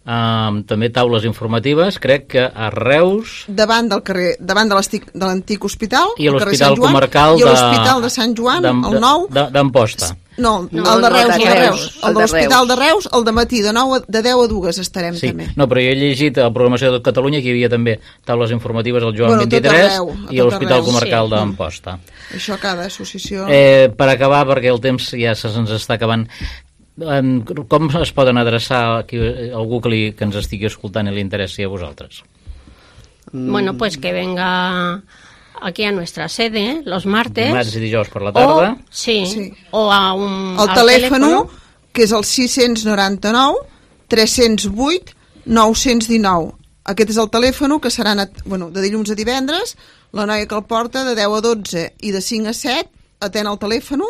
eh, també taules informatives, crec que a Reus Davant del carrer, davant de l'estic- de l'antic hospital, i a al carrer l'Hospital Sant Joan, Comarcal i a l'Hospital de Sant Joan, d'Am- el nou. de- d'Amposta. No, No, el de no, Reus, de el de Reus, Reus. el El de de l'Hospital Reus. de Reus, el de matí, de, nou, a- de deu a dues estarem Sí, també. no, però jo he llegit a la programació de Catalunya que hi havia també taules informatives al Joan Bueno, a tot vint-i-tres arreu, a i a tot l'Hospital arreu. Comarcal Sí. d'Amposta. Això cada associació... Eh, per acabar, perquè el temps ja se se'ns està acabant, eh, com es poden adreçar aquí, algú que, li, que ens estigui escoltant i li interessi a vosaltres? Bueno, pues que venga aquí a nuestra sede los martes. Dimarts i dijous per la tarda. O, sí, Sí. o a un... El al telèfon, que és el sis noranta-nou tres zero vuit nou cents dinou. aquest és el telèfon que seran a, bueno, de dilluns a divendres, la noia que el porta de deu a dotze i de cinc a set atén el telèfon,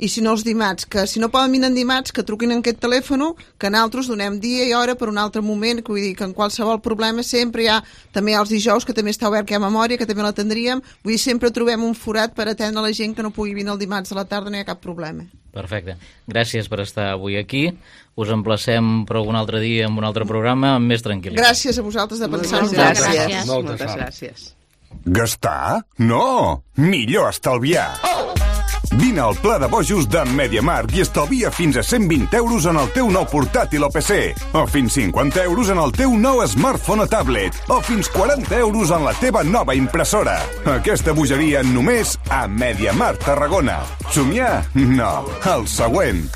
i si no els dimarts, que si no poden venir en dimarts, que truquin en aquest telèfon, que nosaltres donem dia i hora per un altre moment, que vull dir que en qualsevol problema sempre hi ha, també hi ha els dijous, que també està obert, que hi ha memòria, que també l'atendríem, vull dir, sempre trobem un forat per atendre la gent que no pugui venir el dimarts a la tarda, no hi ha cap problema. Perfecte. Gràcies per estar avui aquí. Us emplacem per algun altre dia amb un altre programa amb més tranquil·litat. Gràcies a vosaltres de pensar. Moltes gràcies. gràcies. Moltes, Moltes gràcies. Gastar? No! Millor estalviar! Vine al Pla de Bojos de MediaMarkt i estalvia fins a cent vint euros en el teu nou portàtil o P C, o fins cinquanta euros en el teu nou smartphone o tablet, o fins quaranta euros en la teva nova impressora. Aquesta bogeria només a MediaMarkt Tarragona. Somiar? No. El següent.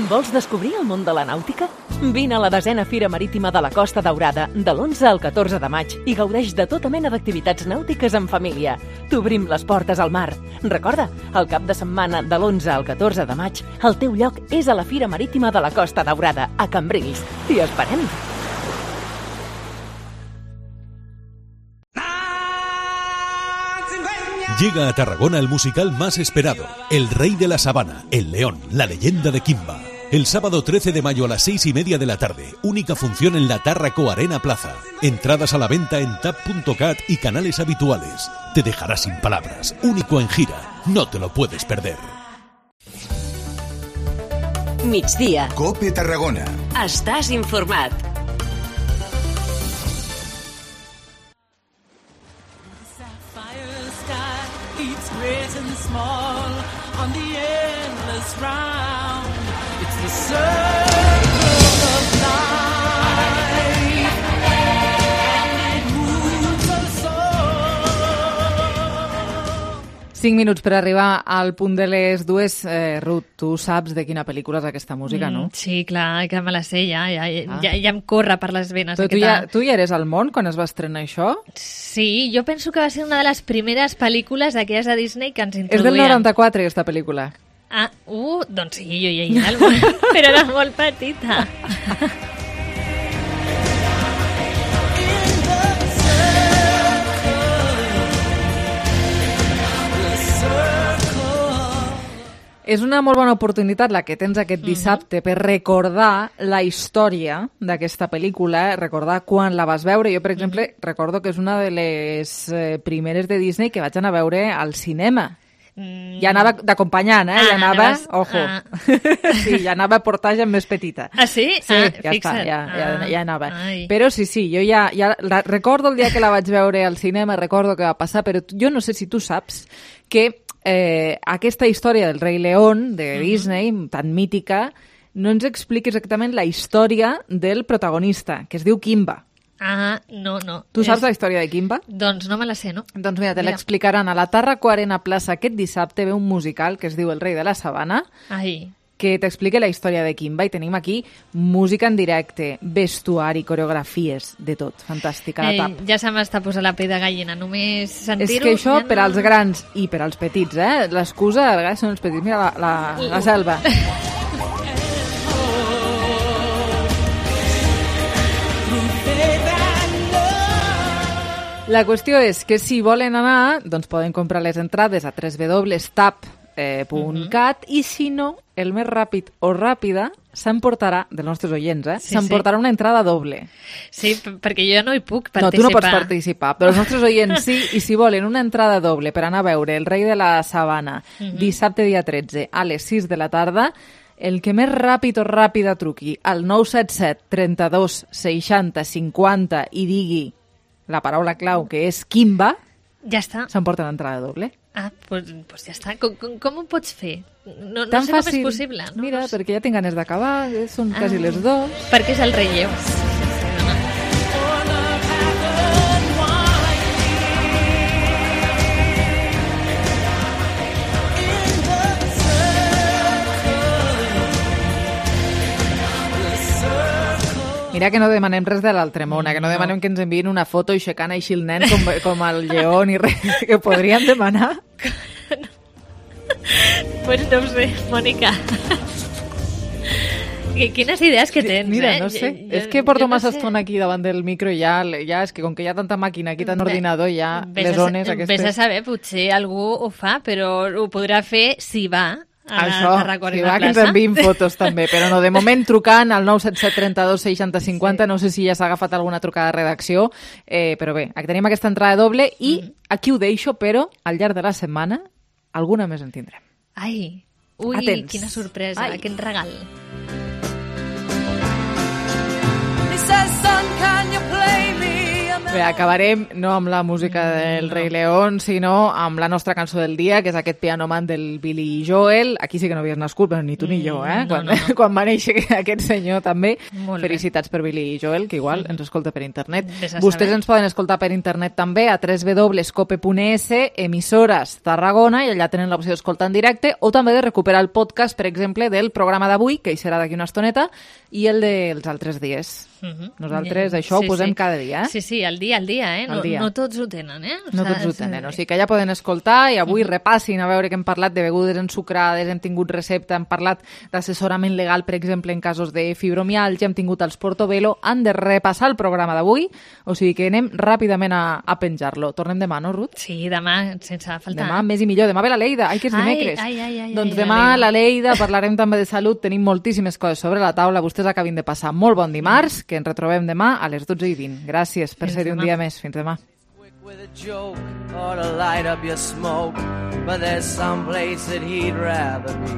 Vols descobrir el món de la nàutica? Vine a la desena Fira Marítima de la Costa Daurada de l'onze al catorze de maig i gaudeix de tota mena d'activitats nàutiques en família. T'obrim les portes al mar. Recorda, el cap de setmana de l'onze al catorze de maig, el teu lloc és a la Fira Marítima de la Costa Daurada, a Cambrils. T'hi esperem! Llega a Tarragona el musical más esperado, El Rey de la Sabana, El León, la leyenda de Kimba. El sábado trece de mayo a las seis y media de la tarde, única función en la Tárraco Arena Plaza. Entradas a la venta en tap punto cat y canales habituales. Te dejará sin palabras, único en gira, no te lo puedes perder. Migdia. COPE Tarragona. Estàs informat. Great and small on the endless round. It's the circle of life, and it moves us all. Cinc minuts per arribar al punt de les dues. Eh, Ruth, tu saps de quina pel·lícula és aquesta música, no? Mm, sí, clar, que me la sé ja, ja, ah. ja, ja em corre per les venes. Però tu ja, tu ja eres al món quan es va estrenar això? Sí, jo penso que va ser una de les primeres pel·lícules d'aquelles de Disney que ens introduïen. És del noranta-quatre, aquesta pel·lícula. Ah, uh, doncs sí, jo ja hi era, però era molt petita. És una molt bona oportunitat la que tens aquest dissabte per recordar la història d'aquesta pel·lícula, recordar quan la vas veure. Jo, per exemple, recordo que és una de les eh, primeres de Disney que vaig anar a veure al cinema. Mm. Ja anava d'acompanyant, eh? Ah, ja anava, anaves... ojo, ah. sí, ja anava a portar ja més petita. Ah, sí? Sí, ah, ja fixa't. està, ja, ja, ah. ja anava. Ai. Però sí, sí, jo ja, ja la, recordo el dia que la vaig veure al cinema, recordo que va passar, però jo no sé si tu saps que eh, aquesta història del Rei León, de uh-huh. Disney, tan mítica, no ens explica exactament la història del protagonista, que es diu Kimba. Ah, no, no. Tu saps és... la història de Kimba? Doncs no me la sé, no? Doncs mira, te l'explicaran. A la Tàrraco Arena Plaça aquest dissabte ve un musical que es diu El Rei de la Sabana, Ai. que t'explica la història de Kimba, i tenim aquí música en directe, vestuari, coreografies, de tot. Fantàstica, la tap. Eh, ja se m'està posant la pell de gallina, només sentir-ho... És que això, ja no... per als grans i per als petits, eh? L'excusa, a vegades són els petits. Mira la, la, la Selva. La qüestió és que si volen anar, doncs poden comprar les entrades a w w w punt tap punt cat uh-huh. i si no, el més ràpid o ràpida s'emportarà, dels nostres oients, eh? Sí, s'emportarà sí. una entrada doble. Sí, perquè jo ja no hi puc participar. No, tu no pots participar, però els nostres oients sí, i si volen una entrada doble per anar a veure El Rei de la Sabana uh-huh. dissabte dia tretze a les sis de la tarda, el que més ràpid o ràpida truqui al nou set set trenta-dos seixanta cinquanta i digui la paraula clau, que és Kimba, ja està. S'emporta l'entrada doble. Ah, doncs pues, pues ja està. Com, com, com ho pots fer? No, no Tan sé fàcil. Com és possible. No? Mira, no sé. perquè ja tinc ganes d'acabar, són ah, quasi les dos. Perquè és el relleu. Mira que no demanem res de l'altre món, que no demanem que ens enviïn una foto aixecant així el nen com, com el lleó ni res, que podríem demanar. Pues no ho sé, Mònica. I quines idees que tens, Mira, eh? no sé. Jo, és que porto jo no massa sé. estona aquí davant del micro i ja, ja és que com que hi ha tanta màquina aquí, tant Bé, ordinador, ja Ves les a, ones ves aquestes... a saber, potser algú ho fa, però ho podrà fer si va a Això, la Tarragona si va, que ens enviïn fotos també, però no, de moment trucant al nou set set tres dos seixanta cinquanta, sí. No sé si ja s'ha agafat alguna trucada de redacció, eh, però bé, aquí tenim aquesta entrada doble i mm. aquí ho deixo, però al llarg de la setmana alguna més en tindrem. Ai, ui, Atents. quina sorpresa, Ai. quin regal. Bé, acabarem no amb la música del Rei León, sinó amb la nostra cançó del dia, que és aquest Piano Man del Billy Joel. Aquí sí que no havies nascut, però ni tu ni jo, eh? no, Quan, no, no. quan va néixer aquest senyor també. Molt bé. Felicitats per Billy Joel, que igual ens escolta per internet. Ves a Vostès saber. ens poden escoltar per internet també a w w w punt cope punt es, emissores Tarragona, i allà tenen l'opció d'escoltar en directe, o també de recuperar el podcast, per exemple, del programa d'avui, que hi serà d'aquí una estoneta, i el dels altres dies. Uh -huh. Nosaltres Ja, això sí, ho posem sí. cada dia, eh? Sí, sí, al dia, al dia, eh? Al No, dia. no tots ho tenen, eh? No tots ho tenen, o sigui que ja poden escoltar i avui repassin a veure que hem parlat de begudes ensucrades, hem tingut recepta, hem parlat d'assessorament legal, per exemple, en casos de fibromialgia, hem tingut els Portobello, han de repassar el programa d'avui, o sigui que anem ràpidament a, a penjar-lo. Tornem demà, no, Ruth? Sí, demà, sense faltar. Demà més i millor. Demà ve la Leida. Ai, que és Ai, dimecres. ai, ai, ai, doncs ai, demà la la Leida, parlarem també de salut, tenim moltíssimes coses sobre la taula. Vostès acabin de passar molt bon dimarts, que ens retrobem demà a les dotze i vint. Gràcies per Fins ser-hi un demà. dia més. Fins demà. With a joke or to light up your smoke, but there's some place that he'd rather be.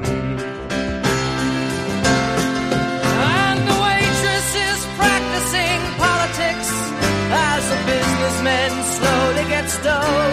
And the waitress is practicing politics as the businessmen slowly get stoned.